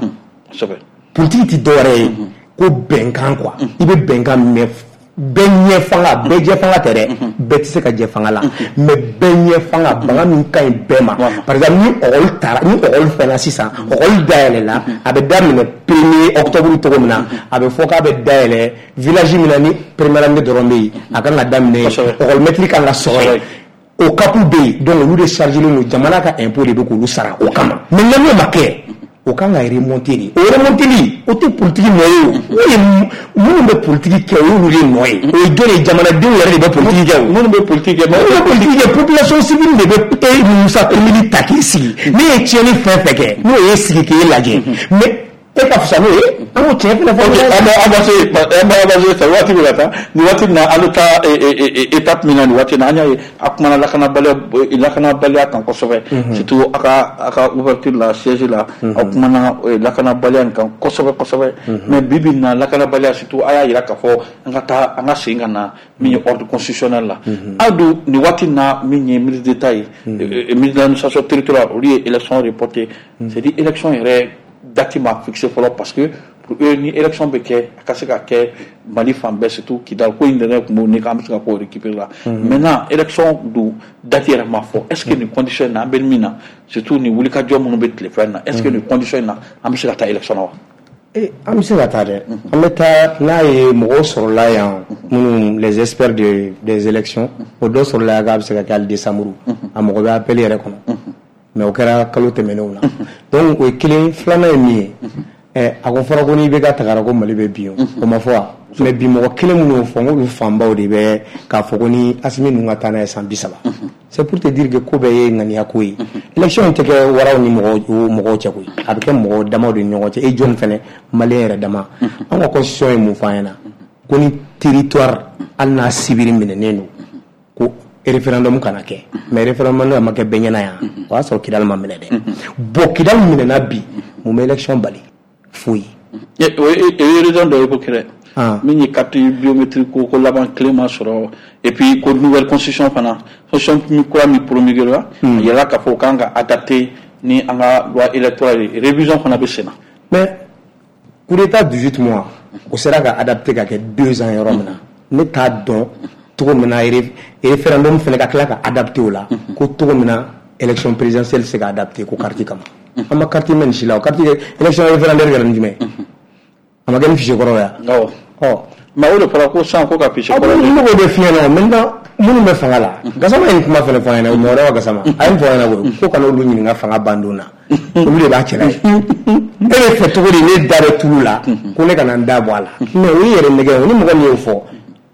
Politique ti dɔwɛrɛ ye ko bɛnkan quoi. I bɛ bɛnkan mais bɛɛ ɲɛ fanga, bɛɛ jɛ fanga tɛ dɛ, bɛɛ tɛ se ka jɛ fanga la, mais bɛɛ ɲɛ fanga, baga min ka ɲi bɛɛ ma. Par exemple, ni école taara, ni école fɛnna sisan, école dayɛlɛla, a bɛ daminɛ premier octobre cogo min na, a bɛ fɔ k'a bɛ dayɛlɛ village min na, ni première année dɔrɔn bɛ yen, a kan ka daminɛ yen, école maître kan ka sɔrɔ yen, o CAP bɛ yen. Donc olu de chargé len don, jamana ka impôt de bɛ k'olu sara o kama. Mais n'o ma kɛ, o kan ka remonter de. O remonteli, o tɛ politique nɔ ye. O o ye minnu bɛ politique kɛ, o y'olu de nɔ ye. O ye jɔn ye? Jamanadenw yɛrɛ de bɛ politique kɛ. O minnu bɛ politique kɛ. Minnu bɛ politique kɛ, population civile de bɛ e Musa Tomini ta k'i sigi. Ne ye tiɲɛni fɛn fɛn kɛ, n'o ye sigi k'e lajɛ, mais e ka fisa n'o ye, an k'o tiɲɛ fɛnɛ fɔ. An bɛ avancer, an bɛ avancer fɛ, waati bɛ ka taa nin waati in na. An bɛ taa étape min na nin waati in na, an y'a ye a kumana lakanabaliya lakanabaliya kan kosɛbɛ, surtout a ka a ka ouverture la, siège la, aw kumana lakanabaliya nin kan kosɛbɛ kosɛbɛ. Mais bi bi in na, lakanabaliya surtout, a y'a yira k'a fɔ an ka taa, an ka segin ka na min ye ordre constitutionnel la. Aw dun nin waati in na, min ye ministre d'État ye, ministre de l'administration territoriale, olu ye élection reportée, c'est à dire élection yɛrɛ date ma fixé fɔlɔ, parce que pour eux, ni élection bɛ kɛ, a ka se ka kɛ Mali fan bɛɛ, surtout Kidal ko in yɛrɛ tun b'o ni k'an bɛ se ka k'o récupérer la. Maintenant, élection dun date yɛrɛ ma fɔ. Est ce que nin condition in na, an bɛ min na, surtout nin wulikajɔ minnu bɛ tile fila in na, est ce que nin condition in na, an bɛ se ka taa élection na wa? Eh, an bɛ se ka taa dɛ, an bɛ taa n'a ye. Mɔgɔw sɔrɔla yan minnu, les experts de des élections, o dɔ sɔrɔla yan k'a bɛ se ka kɛ hali décembre, a mɔgɔ bɛ appel yɛrɛ kɔnɔ, mais o kɛra kalo tɛmɛnenw na. Donc o ye kelen. Filanan ye min ye, ɛ a ko fɔra ko n'i bɛ ka tagara ko Mali bɛ bin, o o ma fɔ wa? Mais bi mɔgɔ kelen minnu y'o fɔ, n k'olu fanbaw de bɛ k'a fɔ ko ni Asimi ninnu ka taa n'a ye san bi saba. C'est pour te dire que ko bɛɛ ye ŋaniya ko ye. Élection in tɛ kɛ waraw ni mɔgɔw mɔgɔw cɛ koyi, a bɛ kɛ mɔgɔw damaw de ni ɲɔgɔn cɛ. E jɔn fɛnɛ, malien yɛrɛ dama, an ka constitution ye mun fɔ an ɲɛna? Ko ni territoire, hali n'a sibiri minɛnen don, ko référendum kana kɛ. Mais référendum ma kɛ bɛɛ ɲɛna yan, o y'a sɔrɔ Kidali ma minɛ dɛ. Bon, Kidali minɛna bi, mun bɛ élection bali? Foyi. O ye raison dɔ ye ko kɛrɛ min ye carte biométrique ko ko laban kelen ma sɔrɔ, et puis ko nouvelle constitution fana, constitution min kura min promulgué la, a yɛrɛ k'a fɔ o kan ka adapter ni an ka loi électorale ye, révision fana bɛ sen na. Mais coup d'état dix-huit mois, o sera ka adapter ka kɛ deux ans yɔrɔ min na, ne t'a dɔn cogo min na référendum fana ka tila ka adapter o la, ko cogo min na élection présidentielle se ka adapter ko carte kama. An ma carte mɛn nin si la. O carte, élection référendaire kɛra ni jumɛn? A ma kɛ ni fichier kɔrɔ ya? Awɔ. Ɔ mais o de fɔra ko sisan ko ka fichier kɔrɔ. Ne b'o de f'i ɲɛna. Maintenant, minnu bɛ fanga la, Gasama ye nin kuma fana fɔ an ɲɛna, mɔgɔ wɛrɛ Gasama a ye nin fɔ an ɲɛna koyi, ko kana olu ɲininka fanga bandon na, olu de b'a cɛla ye. E bɛ fɛ cogo di ne da bɛ tulu la ko ne kana n da bɔ a la? Mais o ye yɛrɛ nɛgɛ o ni mɔgɔ min y'o fɔ,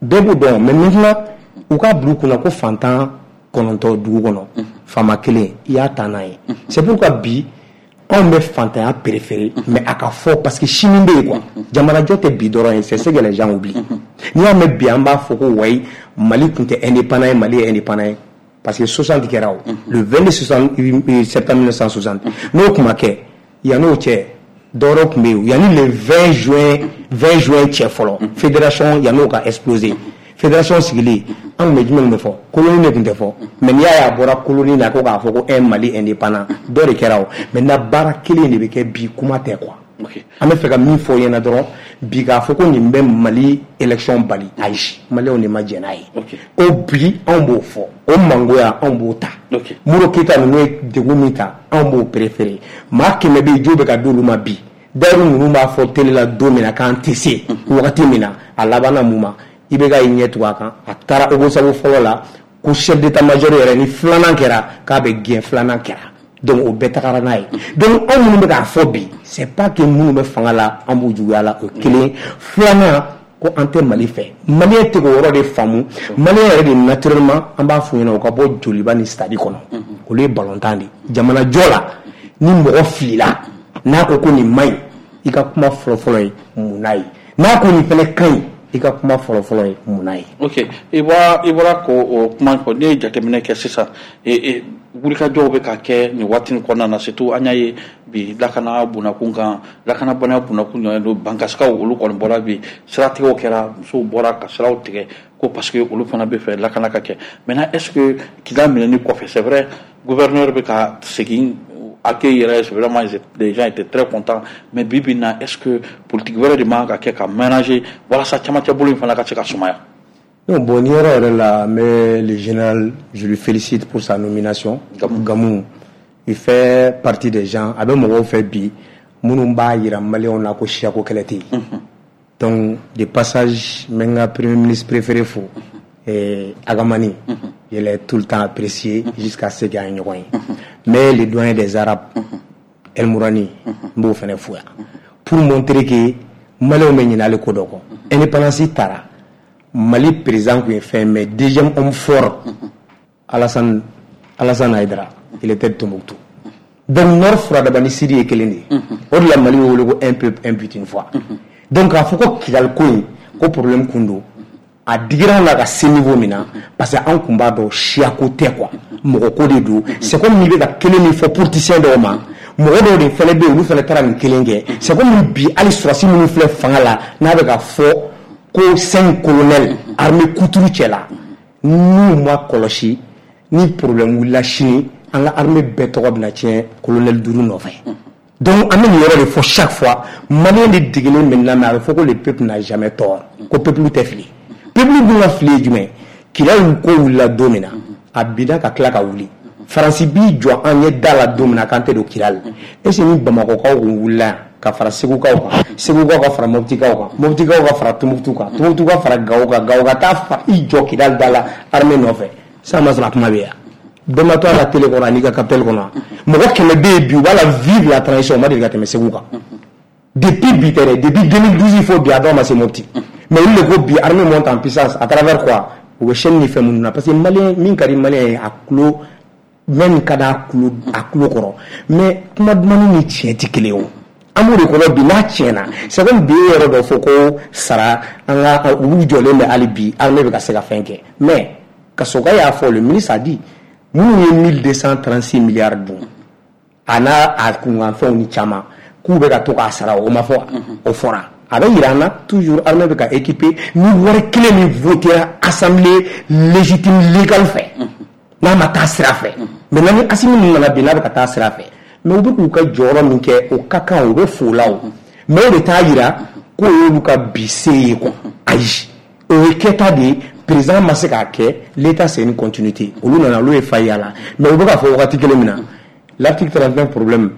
bɛɛ b'o dɔn. Mais maintenant, u k'a bila u kunna ko fantan kɔnɔntɔn dugu kɔnɔ, faama kelen i y'a ta n'a ye. C'est pourquoi bi anw bɛ fantanya préféré, mais a ka fɔ, parce que sini bɛ yen quoi. Jamanajɔ tɛ bi dɔrɔn ye, c'est ce que les gens oublient. N'i y'a mɛn bi an b'a fɔ ko wayi, Mali tun tɛ indépendant ye, Mali ye indépendant ye parce que soixante kɛra, o le vingt-deux septembre mille neuf cent soixante, n'o tun ma kɛ, yan'o cɛ dɔwɛrɛ tun bɛ yen. Yanni le vingt juin, vingt juin cɛ fɔlɔ, fédération yan'o ka exploser, fédération sigilen, an tun bɛ jumɛn de fɔ? Colonie de tun tɛ fɔ. Mais n'i y'a ye a bɔra colonie na ko k'a fɔ ko un Mali indépendant, dɔ de kɛra o. Maintenant, baara kelen de bɛ kɛ bi, kuma tɛ quoi. An bɛ fɛ ka min fɔ ɲɛna dɔrɔn bi, k'a fɔ ko nin bɛ Mali élection bali, ayi, maliyɛnw de ma jɛn n'a ye. O bi anw b'o fɔ, o mangoya anw b'o ta. Modibo Keyita ninnu ye degun min ta, anw b'o préféré. Maa kɛmɛ bɛ yen, jo bɛ ka d'olu ma bi. D'ailleurs, ninnu b'a fɔ télé la don min na k'an tɛ se, wagati min na a labanna mun ma? I bɛ ka i ɲɛ tugun a kan, a taara Ogosagu fɔlɔ la ko chef d'état-major yɛrɛ, ni filanan kɛra k'a bɛ gɛn, filanan kɛra. Donc o bɛɛ tagara n'a ye. Donc anw minnu bɛ k'a fɔ bi, c'est pas que minnu bɛ fanga la, an b'u juguya la, o ye kelen. Filanan, ko an tɛ Mali fɛ, malien tɛ k'o yɔrɔ de faamu. Malien yɛrɛ de, naturellement, an b'a f'u ɲɛna u ka bɔ Joliba ni stade kɔnɔ, olu ye balontan de jamanajɔ la. Ni mɔgɔ filila, n'a ko ko nin man ɲi, i ka kuma fɔlɔ-fɔlɔ ye mun n'a ye? N'a ko nin fana ka ɲi, i ka kuma fɔlɔ-fɔlɔ ye mun n'a ye? Ok, i bɔra i bɔra k'o o kuma fɔ. Ne ye jateminɛ kɛ sisan, wulikajɔw bɛ ka kɛ nin waati nin kɔnɔna na, surtout an y'a ye bi lakana bunakun kan, lakanabaliya bunakun ɲɔgɔn don. Bankasikaw, olu kɔni bɔra bi, siratigɛw kɛra, musow bɔra ka siraw tigɛ ko parce que olu fana bɛ fɛ lakana ka kɛ. Maintenant, est ce que Kidal minɛni kɔfɛ, c'est vrai, Gouverneur bɛ ka segin accueil yɛrɛ, vraiment les gens étaient très contents. Mais bi bi in na, est-ce que politique wɛrɛ de man kan ka kɛ ka ménager walasa camancɛ bolo in fana ka se ka sumaya? Non, bon, ni yɔrɔ yɛrɛ la, mais le général, je lui félicite pour sa nomination. Gamou. Gamou, il fait partie des gens, a bɛ mɔgɔw fɛ bi minnu b'a yira maliyɛnw na ko siyako kɛlɛ tɛ yen. Donc, de passage, n bɛ n ka premier ministre préféré fo, eh, Agamani. Je l'ai tout le temps apprécié jusqu'à ce qu'an ye ɲɔgɔn ye. Mais le doyen des Arabes, El Mourani, n b'o fɛnɛ fo yan. Pour montrer que maliyɛnw bɛ ɲinɛ ale ko dɔ kɔ. Indépendance taara. Mali président tun ye fɛn, mais deuxième homme fort, Alassane, Alassane Haïdara, il était de Tombouctou. Donc Nord furadaba ni Sud ye kelen de ye. O de la Mali bɛ wele ko un peuple, un but, une foi. Donc k'a fɔ ko Kidali ko in ko problème kun don, a digira an na ka se niveau min na, parce que an kun b'a dɔn siyako tɛ quoi, mɔgɔ ko de don. C'est comme n'i bɛ ka kelen min fɔ politicien dɔw ma, mɔgɔ dɔw de fɛnɛ bɛ yen, olu fɛnɛ taara nin kelen kɛ. C'est comme bi hali sɔrɔdasi minnu filɛ fanga la, n'a bɛ ka fɔ ko cinq colonels armée kuturu cɛ la, n'u ma kɔlɔsi ni problème wulila sini, an ka armée bɛɛ tɔgɔ bɛna tiɲɛ colonel duuru nɔfɛ. Donc an bɛ nin yɔrɔ de fɔ chaque fois, maliyɛn de degelen bɛ nin na, mais a bɛ fɔ ko le peuple n'a jamais tort, ko peuple tɛ fili. Peuple dun ka fili ye jumɛn? Kidali ko wulila don min na, a binna ka tila ka wuli. Faransi b'i jɔ an ɲɛ da la don min na k'an tɛ don Kidali, est ce que ni Bamakɔkaw kun wulila yan ka fara Segukaw kan, Segukaw ka fara Moptikaw kan, Moptikaw ka fara Tombouctou kan, Tombouctou ka fara Gawo kan, Gawo ka taa fa i jɔ Kidali da la armée nɔfɛ, san ma sɔrɔ a kuma bɛ yan, bɛɛ ma to a ka télé kɔnɔ an'i ka capital kɔnɔ, mɔgɔ kɛmɛ bɛ yen bi, u b'a la vive la transition, u ma deli ka tɛmɛ Segu kan. Depuis bi tɛ dɛ, depuis deux mille douze fo bi, a dɔw ma se Mopti. Mais olu de ko bi armée monte en puissance à travers quoi? U bɛ chaîne ni fɛn minnu na, parce que maliyɛn min ka di maliyɛn ye, a tulo même ka d'a tulo a tulo kɔrɔ, mais kuma dumanni ni tiɲɛ tɛ kelen ye. O an b'o de kɔnɔ bi, n'a tiɲɛna, c'est comme bi e yɔrɔ dɔ fɔ ko sara an ka olu jɔlen bɛ hali bi, armée bɛ ka se ka fɛn kɛ. Mais Kasoka y'a fɔ, le ministre a dit, minnu ye mille deux cent trente-six milliards dun, a n'a a kunkanfɛnw ni caman, k'u bɛ ka to k'a sara, o ma fɔ? O fɔra. A bɛ yira an na toujours armée bɛ ka équiper ni wari kelen min votera assemblée légitime légale fɛ, n'a ma taa sira fɛ. Maintenant ni Assimi ninnu nana bi, n'a bɛ ka taa sira fɛ, mais u bɛ k'u ka jɔyɔrɔ min kɛ, o ka kan, u bɛ fo la o, mais o de t'a yira k'o y'olu ka bi se ye quoi. Ayi, o ye kɛta de ye, président ma se k'a kɛ. L'état, c'est une continuité. Olu nana, olu ye fa y'a la, mais u bɛ k'a fɔ wagati kelen min na, l'article trente-neuf problème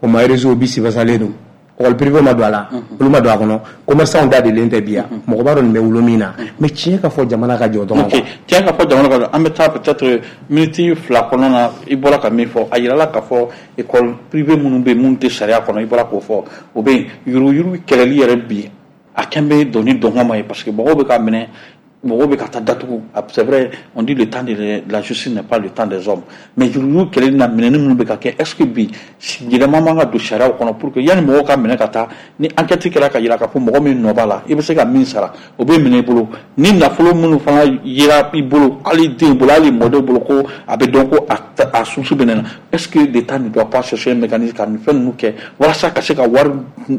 o ma réseau bi sifasalen don, école privée ma don a la, olu ma don a kɔnɔ, commerçant da delen tɛ bi yan, mɔgɔ b'a dɔn nin bɛ wolo min na. Mais tiɲɛ ka fɔ, jamana ka jɔ dɔrɔn. Ok, tiɲɛ ka fɔ, jamana ka jɔ. An bɛ taa peut-être minute fila kɔnɔna na. I bɔra ka min fɔ, a yirala k'a fɔ école privée minnu bɛ yen, minnu tɛ sariya kɔnɔ, i bɔra k'o fɔ, o bɛ yen. Yuruguyurugu kɛlɛli yɛrɛ bi, a kɛn bɛ dɔnni dɔngɔ ma ye, parce que mɔgɔw bɛ ka minɛ, mɔgɔw bɛ ka taa datugu. C'est vrai, on dit le temps de la justice n'est pas le temps des hommes, mais yuruguyurugu kɛlɛli na, minɛni minnu bɛ ka kɛ, est ce que bi yɛlɛma man ka don sariyaw kɔnɔ pour que yanni mɔgɔw ka minɛ ka taa, ni enquête kɛra ka yira k'a fɔ mɔgɔ min nɔ b'a la, i bɛ se ka min sara, o bɛ minɛ i bolo, ni nafolo minnu fana yera i bolo, hali den bolo, hali mɔdenw bolo, ko a bɛ dɔn ko a a source bɛ ne na? Est ce que l'État ne doit pas chercher un mécanisme ka nin fɛn ninnu kɛ walasa ka se ka wari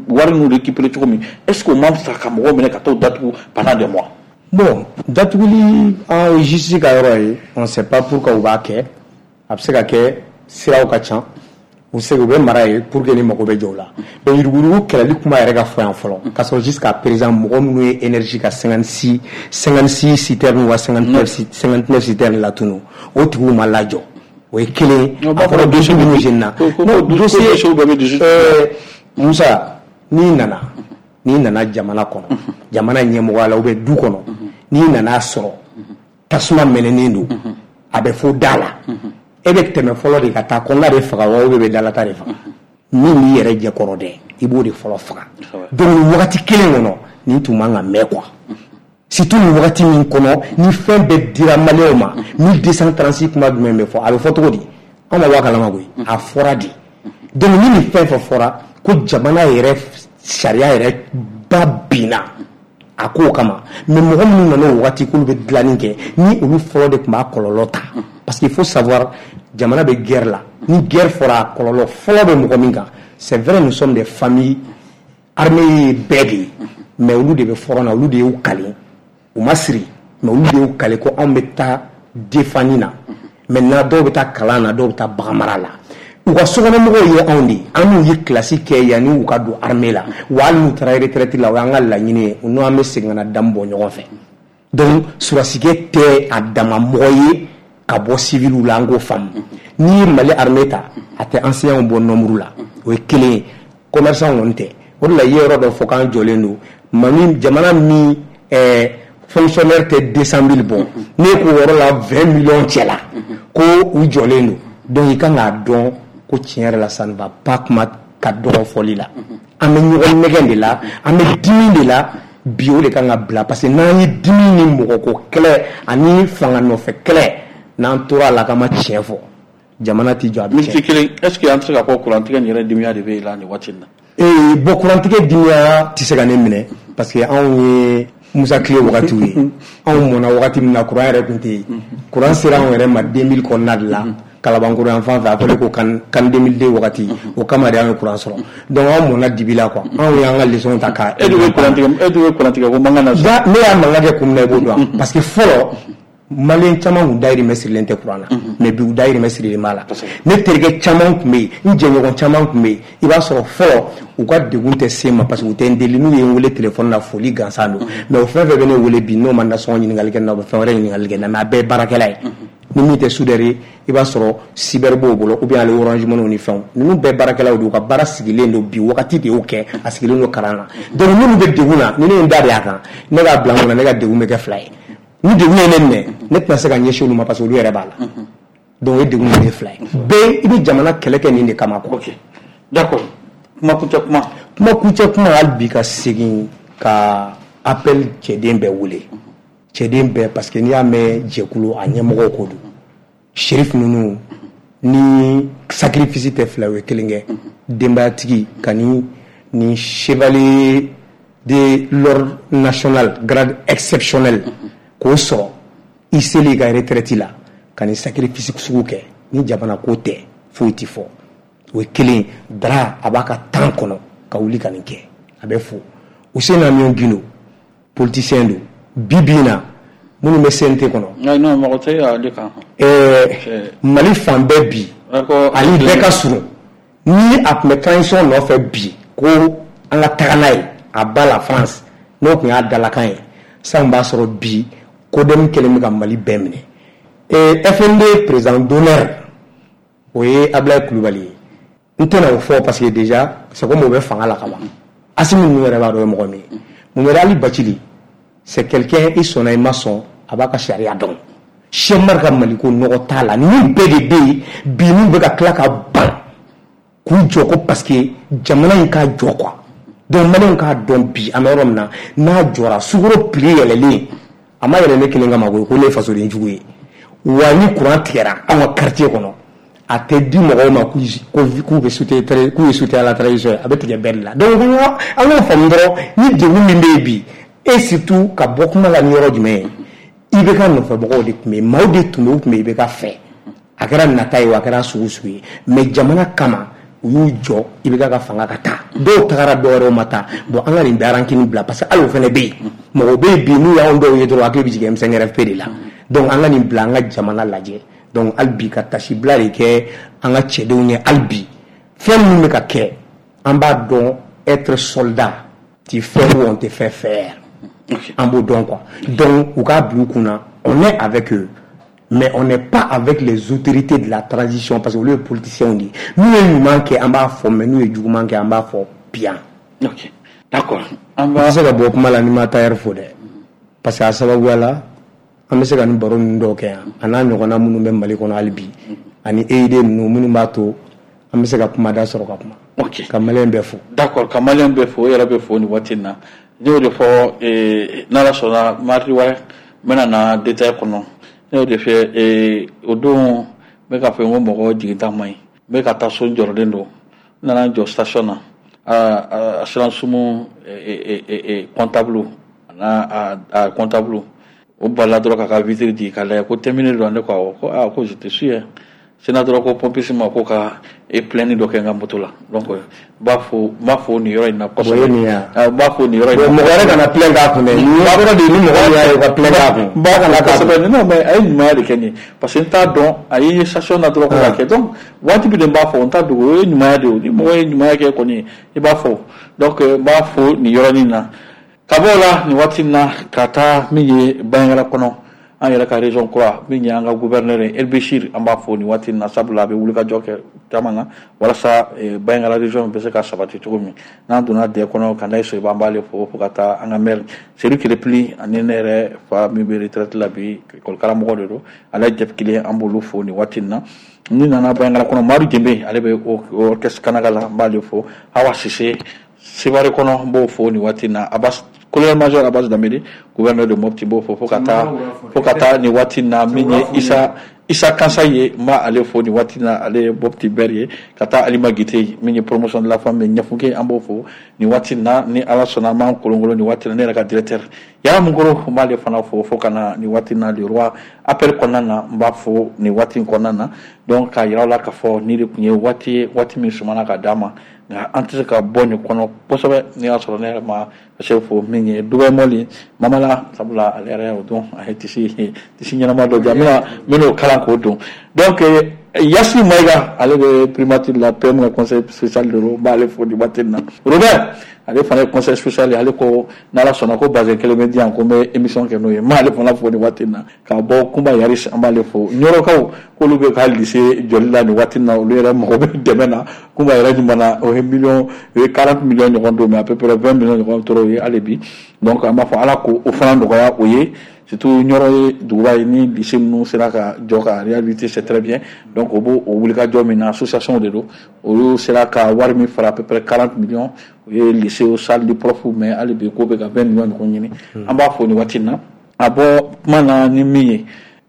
wari ninnu récupérer cogo min? Est ce que o man fisa ka mɔgɔw minɛ ka t'o datugu pendant des mois? Bon, datuguli an ye justice ka yɔrɔ ye, on sait pas pourquoi u b'a kɛ. A bɛ se ka kɛ siraw ka ca, u se u bɛ mara ye pour que ni mago bɛ jɔ o la. Mais yuruguyurugu kɛlɛli kuma yɛrɛ ka fɔ yan fɔlɔ, k'a sɔrɔ jusqu'à présent mɔgɔ minnu ye énergie ka cinquante-six cinquante-six citernes wa cinquante-neuf cinquante-neuf citernes latunu, o tigiw ma lajɔ, o ye kelen ye. A fɔra dossier minnu jenina, non, dossier euh, Musa, n'i nana n'i nana jamana kɔnɔ, jamana ɲɛmɔgɔya la ou bien du kɔnɔ, n'i nana sɔrɔ tasuma mɛnɛnen don, a bɛ fɔ da la, e bɛ tɛmɛ fɔlɔ de ka taa kɔnɔna de faga wa, ou bien bɛ dalata de faga? Min b'i yɛrɛ jɛkɔrɔ dɛ, i b'o de fɔlɔ faga. Donc nin wagati kelen kɔnɔ, nin tun man ka mɛn quoi, surtout nin wagati min kɔnɔ ni fɛn bɛɛ dira maliyɛnw ma. mille deux cent trente-six kuma jumɛn bɛ fɔ? A bɛ fɔ cogo di? Anw ma bɔ a kalama koyi, a fɔra de. Donc ni nin fɛn fɛn fɔra ko jamana yɛrɛ sariya yɛrɛ ba binna a kow kama, mais mɔgɔ minnu nana o wagati k'olu bɛ dilanni kɛ, ni olu fɔlɔ de tun b'a kɔlɔlɔ ta, parce qu'il faut savoir, jamana bɛ guerre la. Ni guerre fɔra, a kɔlɔlɔ fɔlɔ bɛ mɔgɔ min kan, c'est vrai, nous sommes des familles armées ye bɛɛ de ye, mais olu de bɛ front na, olu de y'u kale, u ma siri, mais olu de y'u kale ko anw bɛ taa défendre na. Maintenant dɔw bɛ taa kalan na, dɔw bɛ taa bagan mara la. U ka sokɔnɔmɔgɔw ye anw de ye, an n'u ye kilasi kɛ yanni u ka don armée la. Wa hali n'u taara retraite la, o y'an ka laɲini ye, u n'an bɛ segin ka na damu bɔ ɲɔgɔn fɛ. Donc sɔrɔdasikɛ tɛ a dama mɔgɔ ye ka bɔ civil la, an k'o faamu. N'i ye Mali armée ta, a tɛ enseignants bɔ nombre la, o ye kelen ye. Commerçant kɔni tɛ. O de la i ye yɔrɔ dɔ fɔ k'an jɔlen don. Mali jamana min ɛɛ fonctionnaire tɛ deux cent mille bɔ, n'e k'o yɔrɔ la vingt millions cɛ la ko u jɔlen don. Donc i kan k'a dɔn ko tiɲɛ yɛrɛ la ça ne va pas, kuma ka dɔgɔ fɔli la. An bɛ ɲɔgɔn nɛgɛn de la, an bɛ dimi de la bi, o de kan ka bila, parce que n'an ye dimi ni mɔgɔko kɛlɛ ani fanga nɔfɛ kɛlɛ, n'an tora a la k'an ma tiɲɛ fɔ, jamana tɛ jɔ, a bɛ Miniti tiɲɛ. kelen, est ce que an tɛ se k'a fɔ kurantigɛ nin yɛrɛ dimiya de bɛ e la nin waati in na? Ee bon, kurantigɛ dimiya tɛ se ka ne minɛ, parce que anw ye Musa tile wagatiw ye. Anw mɔnna wagati min na, kuran yɛrɛ tun tɛ yen. Kuran sera anw yɛrɛ ma deux mille kɔnɔna de la, Kalabankɔrɔ yan fan fɛ, a fɔlen ko kan kan deux mille deux wagati, o kama de an ye kuran sɔrɔ. Donc anw mɔnna dibi la quoi, anw y'an ka leçon ta ka E dun bɛ kurantigɛ, e dun bɛ kurantigɛ ko mankan na. Da ne y'a mankan kɛ kun min na, i b'o dɔn, parce que fɔlɔ maliyɛn caman kun dayirimɛ sirilen tɛ kuran na, mais bi u dayirimɛ sirilen b'a la. Ne terikɛ caman tun bɛ yen, n jɛɲɔgɔn caman tun bɛ yen, i b'a sɔrɔ fɔlɔ u ka degun tɛ se n ma, parce que u tɛ n deli, n'u ye n wele téléphone na, foli gansan don. Mais o fɛn fɛn bɛ ne wele bi, n'o ma nasɔngɔ ɲininkali kɛ n na, u bɛ fɛn wɛrɛ ɲininkali kɛ n na, mais a bɛɛ ye baarakɛla ye. Ni min tɛ soudeur ye, i b'a sɔrɔ cyber b'o bolo, ou bien ale Orange Money ni fɛnw. Ninnu bɛɛ baarakɛlaw don, u ka baara sigilen don bi, wagati de y'o kɛ, a sigilen don kalan na. Donc minnu bɛ degun na, ni ne ye n da de a kan, ne k'a bila n kunna, ne ka degun bɛ kɛ fila ye. Ni degun ye ne minɛ, ne tɛna se ka ɲɛsin olu ma, parce que olu yɛrɛ b'a la. Donc o ye degun ye fila ye. Bɛɛ i bɛ jamana kɛlɛ kɛ nin de kama quoi. Ok, d'accord, kuma kuncɛ kuma. Kuma kuncɛ kuma, hali bi ka segin ka appel cɛden bɛɛ wele, cɛden bɛɛ, parce que n'i y'a mɛn jɛkulu, a ɲɛmɔgɔw ko don. Shérif ninnu ni sacrifice tɛ fila ye, o ye kelen kɛ denbayatigi ka ni ni chevalier de l'ordre national grade exceptionnel k'o sɔrɔ i seli ka retraite la, ka ni sacrifice sugu kɛ, ni jamana ko tɛ foyi ti fɔ. O ye kelen. Dara a b'a ka temps kɔnɔ ka wuli ka nin kɛ, a bɛ fo. Housseini Amion Guindo, politicien don bi bi in na, minnu bɛ C N T kɔnɔ. Non non, mɔgɔ tɛ ale kan. Ɛɛ Mali fan bɛɛ bi, ani bɛɛ ka surun ni a tun bɛ transition nɔfɛ bi, ko an ka taga n'a ye a ba la France, n'o tun y'a dalakan ye, san b'a sɔrɔ bi CODEM kɛlen bɛ ka Mali bɛɛ minɛ. F N D président d'honneur, o ye Ablaye Kulubali ye. N tɛna o fɔ parce que déjà c'est comme o bɛ fanga la ka ban. Assimi ninnu yɛrɛ b'a dɔn o ye mɔgɔ min ye. Mohamed Ali Bathily, c'est quelqu'un, i sɔnna i ma sɔn, a b'a ka sariya dɔn. Cheikh Umar ka Maliko nɔgɔ t'a la. Ninnu bɛɛ de bɛ yen bi, n'u bɛ ka tila ka ban k'u jɔ ko parce que jamana in ka jɔ quoi. Donc maliyɛnw k'a dɔn bi an bɛ yɔrɔ min na, n'a jɔra, sukaro prix yɛlɛlen, a ma yɛlɛ ne kelen kama koyi, ko ne ye fasoden jugu ye. Wa ni courant tigɛra anw ka quartier kɔnɔ, a tɛ di mɔgɔw ma k'u bɛ soutien, k'u ye soutien à la transition ye, a bɛ tigɛ bɛɛ de la. Donc an k'o faamu dɔrɔn, ni degun min bɛ yen bi, et surtout ka bɔ kuma la ni yɔrɔ jumɛn ye, I B K nɔfɛmɔgɔw de tun bɛ yen, maaw de tun bɛ yen, u tun bɛ I B K fɛ, a kɛra nata ye o, a kɛra sugu sugu ye, mais jamana kama u y'u jɔ I B K ka fanga ka taa. Dɔw tagara, dɔw wɛrɛw ma taa. Bon, an ka nin bɛɛ rancune bila, parce que hali o fana bɛ yen, mɔgɔw bɛ yen bi, n'u y'anw dɔw ye dɔrɔn, hakili bɛ jigin M cinq R F P de la. Donc an ka nin bila, an ka jamana lajɛ. Donc hali bi ka tasibila de kɛ an ka cɛdenw ye. Hali bi fɛn minnu bɛ ka kɛ, an b'a dɔn, être soldat, tu fais ou on te fait faire, an b'o dɔn quoi. Donc u k'a bila u kunna, on est avec eux, mais on n'est pas avec les autorités de la transition, parce que olu ye politiciens de ye. N'u ye ɲuman kɛ, an b'a fɔ, mais n'u ye juguman kɛ, an b'a fɔ bien. Ok, d'accord, an n b'a tɛ se ka bɔ kuma la ni ma tailleur fo dɛ, parce que a sababuya la an bɛ se ka nin baro ninnu dɔw kɛ yan, a n'a ɲɔgɔnna minnu bɛ Mali kɔnɔ hali bi, ani E I D ninnu minnu b'a to an bɛ se ka kumada sɔrɔ ka kuma. Ok. Ka maliyɛn bɛɛ fo. D'accord, ka maliyɛn bɛɛ fo, o yɛrɛ bɛ fo nin waati in na. Ne y'o de fɔ, eh, n'Ala sɔnna, mardi wɛrɛ n bɛna na détail kɔnɔ. Ne y'o de fɛ, eh, o don n bɛ k'a fɔ n ko mɔgɔ jiginta man ɲi. N bɛ ka taa so, n jɔrɔlen don. N nana n jɔ station na, a assurance sumu comptable a n'a a comptable, o balila dɔrɔn k'a ka vitre di k'a lajɛ ko terminé don. Ne ko awɔ, ko aa, ko je te suis hein. Sena dɔrɔn ko pompiste ma ko ka e plainte dɔ kɛ n ka moto la. Donc n b'a fo n b'a fo nin yɔrɔ in na kosɛbɛ. N b'a fo nin yɔrɔ in na. Mɔgɔ wɛrɛ kana plainte k'a kun dɛ. Nin yɔrɔ de ni mɔgɔ min y'a ye u ka plainte k'a kun. N b'a fo kosɛbɛ. Non mais a ye ɲumanya de kɛ nin ye parce que n t'a dɔn a ye station na dɔrɔn ko ka kɛ. Donc wajibi de n b'a fɔ n t'a dogo o ye ɲumanya de ye. Ni mɔgɔ ye ɲumanya kɛ kɔni i b'a fɔ. Donc n b'a fo nin yɔrɔnin na. Ka bɔ o la nin waati in na ka taa min ye Banjagara kɔnɔ. An yɛrɛ ka région kura min ye an ka gouverneur ye El Bechir an b'a fo nin waati in na sabula a bɛ wulikajɔ kɛ caman na walasa Banjagara région bɛ se ka sabati cogo min n'an donna dɛ kɔnɔ ka n'a ye Soyiba an b'ale fo fo ka taa an ka maire Seydou Kerepili ani ne yɛrɛ fa min bɛ retraite la bi école karamɔgɔ de don ale jɛp kelen an b'olu fo nin waati in na ni nana Banjagara kɔnɔ Madu Jenbe ale bɛ orchestre Kanaga la an b'ale fo Hawa Sise Sibari kɔnɔ n b'o fo nin waati in na Abbas colonel major Abbas Dambélé gouverneur de Mopti b'o fo fo ka taa fo ka taa nin waati in na min ye Issa Issa Kansa ye n b'ale fo nin waati in na ale ye Mopti maire ye ka taa Alima Gite min ye promotion de la femme ye Ɲɛfunke an b'o fo nin waati in na ni Ala sɔnna an b'an kolonkolon nin waati in na ne yɛrɛ ka directeur Yara Munkoro n b'ale fana fo fo ka na nin waati in na le roi appel kɔnɔna na n b'a fo nin waati in kɔnɔna na donc k'a yira aw la k'a fɔ nin de tun ye waati ye waati min sumana ka d'a ma nka an tɛ se ka bɔ nin kɔnɔ kosɛbɛ n'i y'a sɔrɔ ne yɛrɛ ma se fo min ye Dubai Mɔli Mamala sabula ale yɛrɛ y'o dɔn a ye tisi tisi ɲɛnama dɔ di yan n bɛna n bɛn'o kalan k'o don donc Yasi Mayiga ale bɛ primature la P M ka conseil spécial de don n b'ale fo nin waati in na Robert ale fana ye conseil spécial ye ale ko n'Ala sɔnna ko bazin kelen bɛ di yan ko n bɛ émission kɛ n'o ye n b'ale fana fo nin waati in na k'a bɔ Kunba Yaris an b'ale fo Ɲɔrɔkaw k'olu bɛ ka lycée jɔli la nin waati in na olu yɛrɛ mago bɛ dɛmɛ na Kunba yɛrɛ ɲuman na o ye million o ye quarante millions ɲɔgɔn don mais à peu près vingt millions ɲɔgɔn tora o ye hali bi donc an b'a fɔ Ala k'o fana nɔgɔya o ye. Surtout Ɲɔrɔ ye duguba ye ni lycée ninnu sera ka jɔ ka réhabiliter c'est très bien donc o b'o o wulikajɔ min na association de don olu sera ka wari min fara à peu près quarante millions o ye lycée o salle de prof mais hali bi k'o bɛ ka vingt millions ɲɔgɔn ɲini an b'a fo nin waati in na a bɔ kuma na ni min ye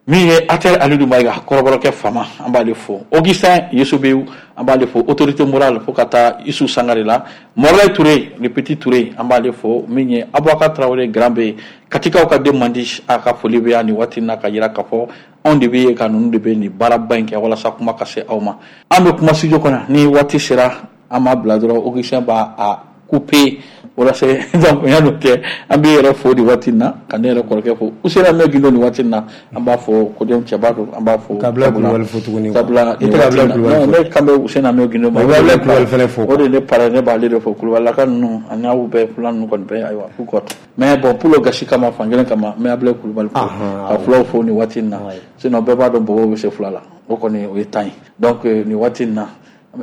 min ye Ater Alidu Mayiga kɔrɔbɔrɔkɛ fama an b'ale fo Augustin Yesubewu an b'ale fo autorité morale fo ka taa Isu Sangare la Morlaye Touré le petit Touré an b'ale fo min ye Abubakar Traoré grand B Katikaw ka den man di a ka foli bɛ yan nin waati in na ka yira k'a fɔ anw de bɛ yen ka ninnu de bɛ nin baaraba in kɛ walasa kuma ka se aw ma an bɛ kuma studio kɔnɔ ni waati sera an b'a bila dɔrɔn Augustin b'a a couper walasa donc yan'o cɛ an bɛ yɛrɛ fo nin waati in na ka ne yɛrɛ kɔrɔkɛ fo Usena Mɛ Gindo nin waati in na an b'a fɔ koden cɛba don an b'a fo Kabila Kulubali fo tuguni sabula i tɛ Kabila Kulubali fo ne kan bɛ Usena Mɛ Gindo ma i bɛ Abila Kulubali fɛnɛ fo o de ne pare ne b'ale de fo Kulubalilaka ninnu ani aw bɛɛ fula ninnu kɔni bɛɛ ayiwa k'u kɔ mais bon pour le gasi kama fan kelen kama n bɛ Abila Kulubali fo ka fulaw fo nin waati in na sinon bɛɛ b'a dɔn bɔbɔw bɛ se fula la o kɔni o ye tan ye donc nin waati in na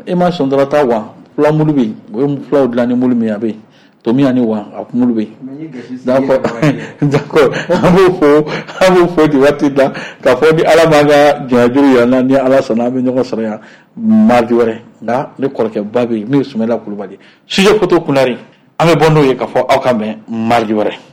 e ma sɔn dɔrɔn taa wa fula mulu bɛ yen o ye fulaw dilan ni mulu min ye a bɛ yen tomi ani wa a mulu bɛ yen d'accord d'accord an b'o fo an b'o fo nin waati in na k'a fɔ ni Ala m'an ka jɔnyajuru yira n na ni Ala sɔnna an bɛ ɲɔgɔn sɔrɔ yan mardi wɛrɛ nka ne kɔrɔkɛba bɛ yen min ye Sumayila Kulubali sujet photo Kunari an bɛ bɔ n'o ye k'a fɔ aw ka bɛn mardi wɛrɛ.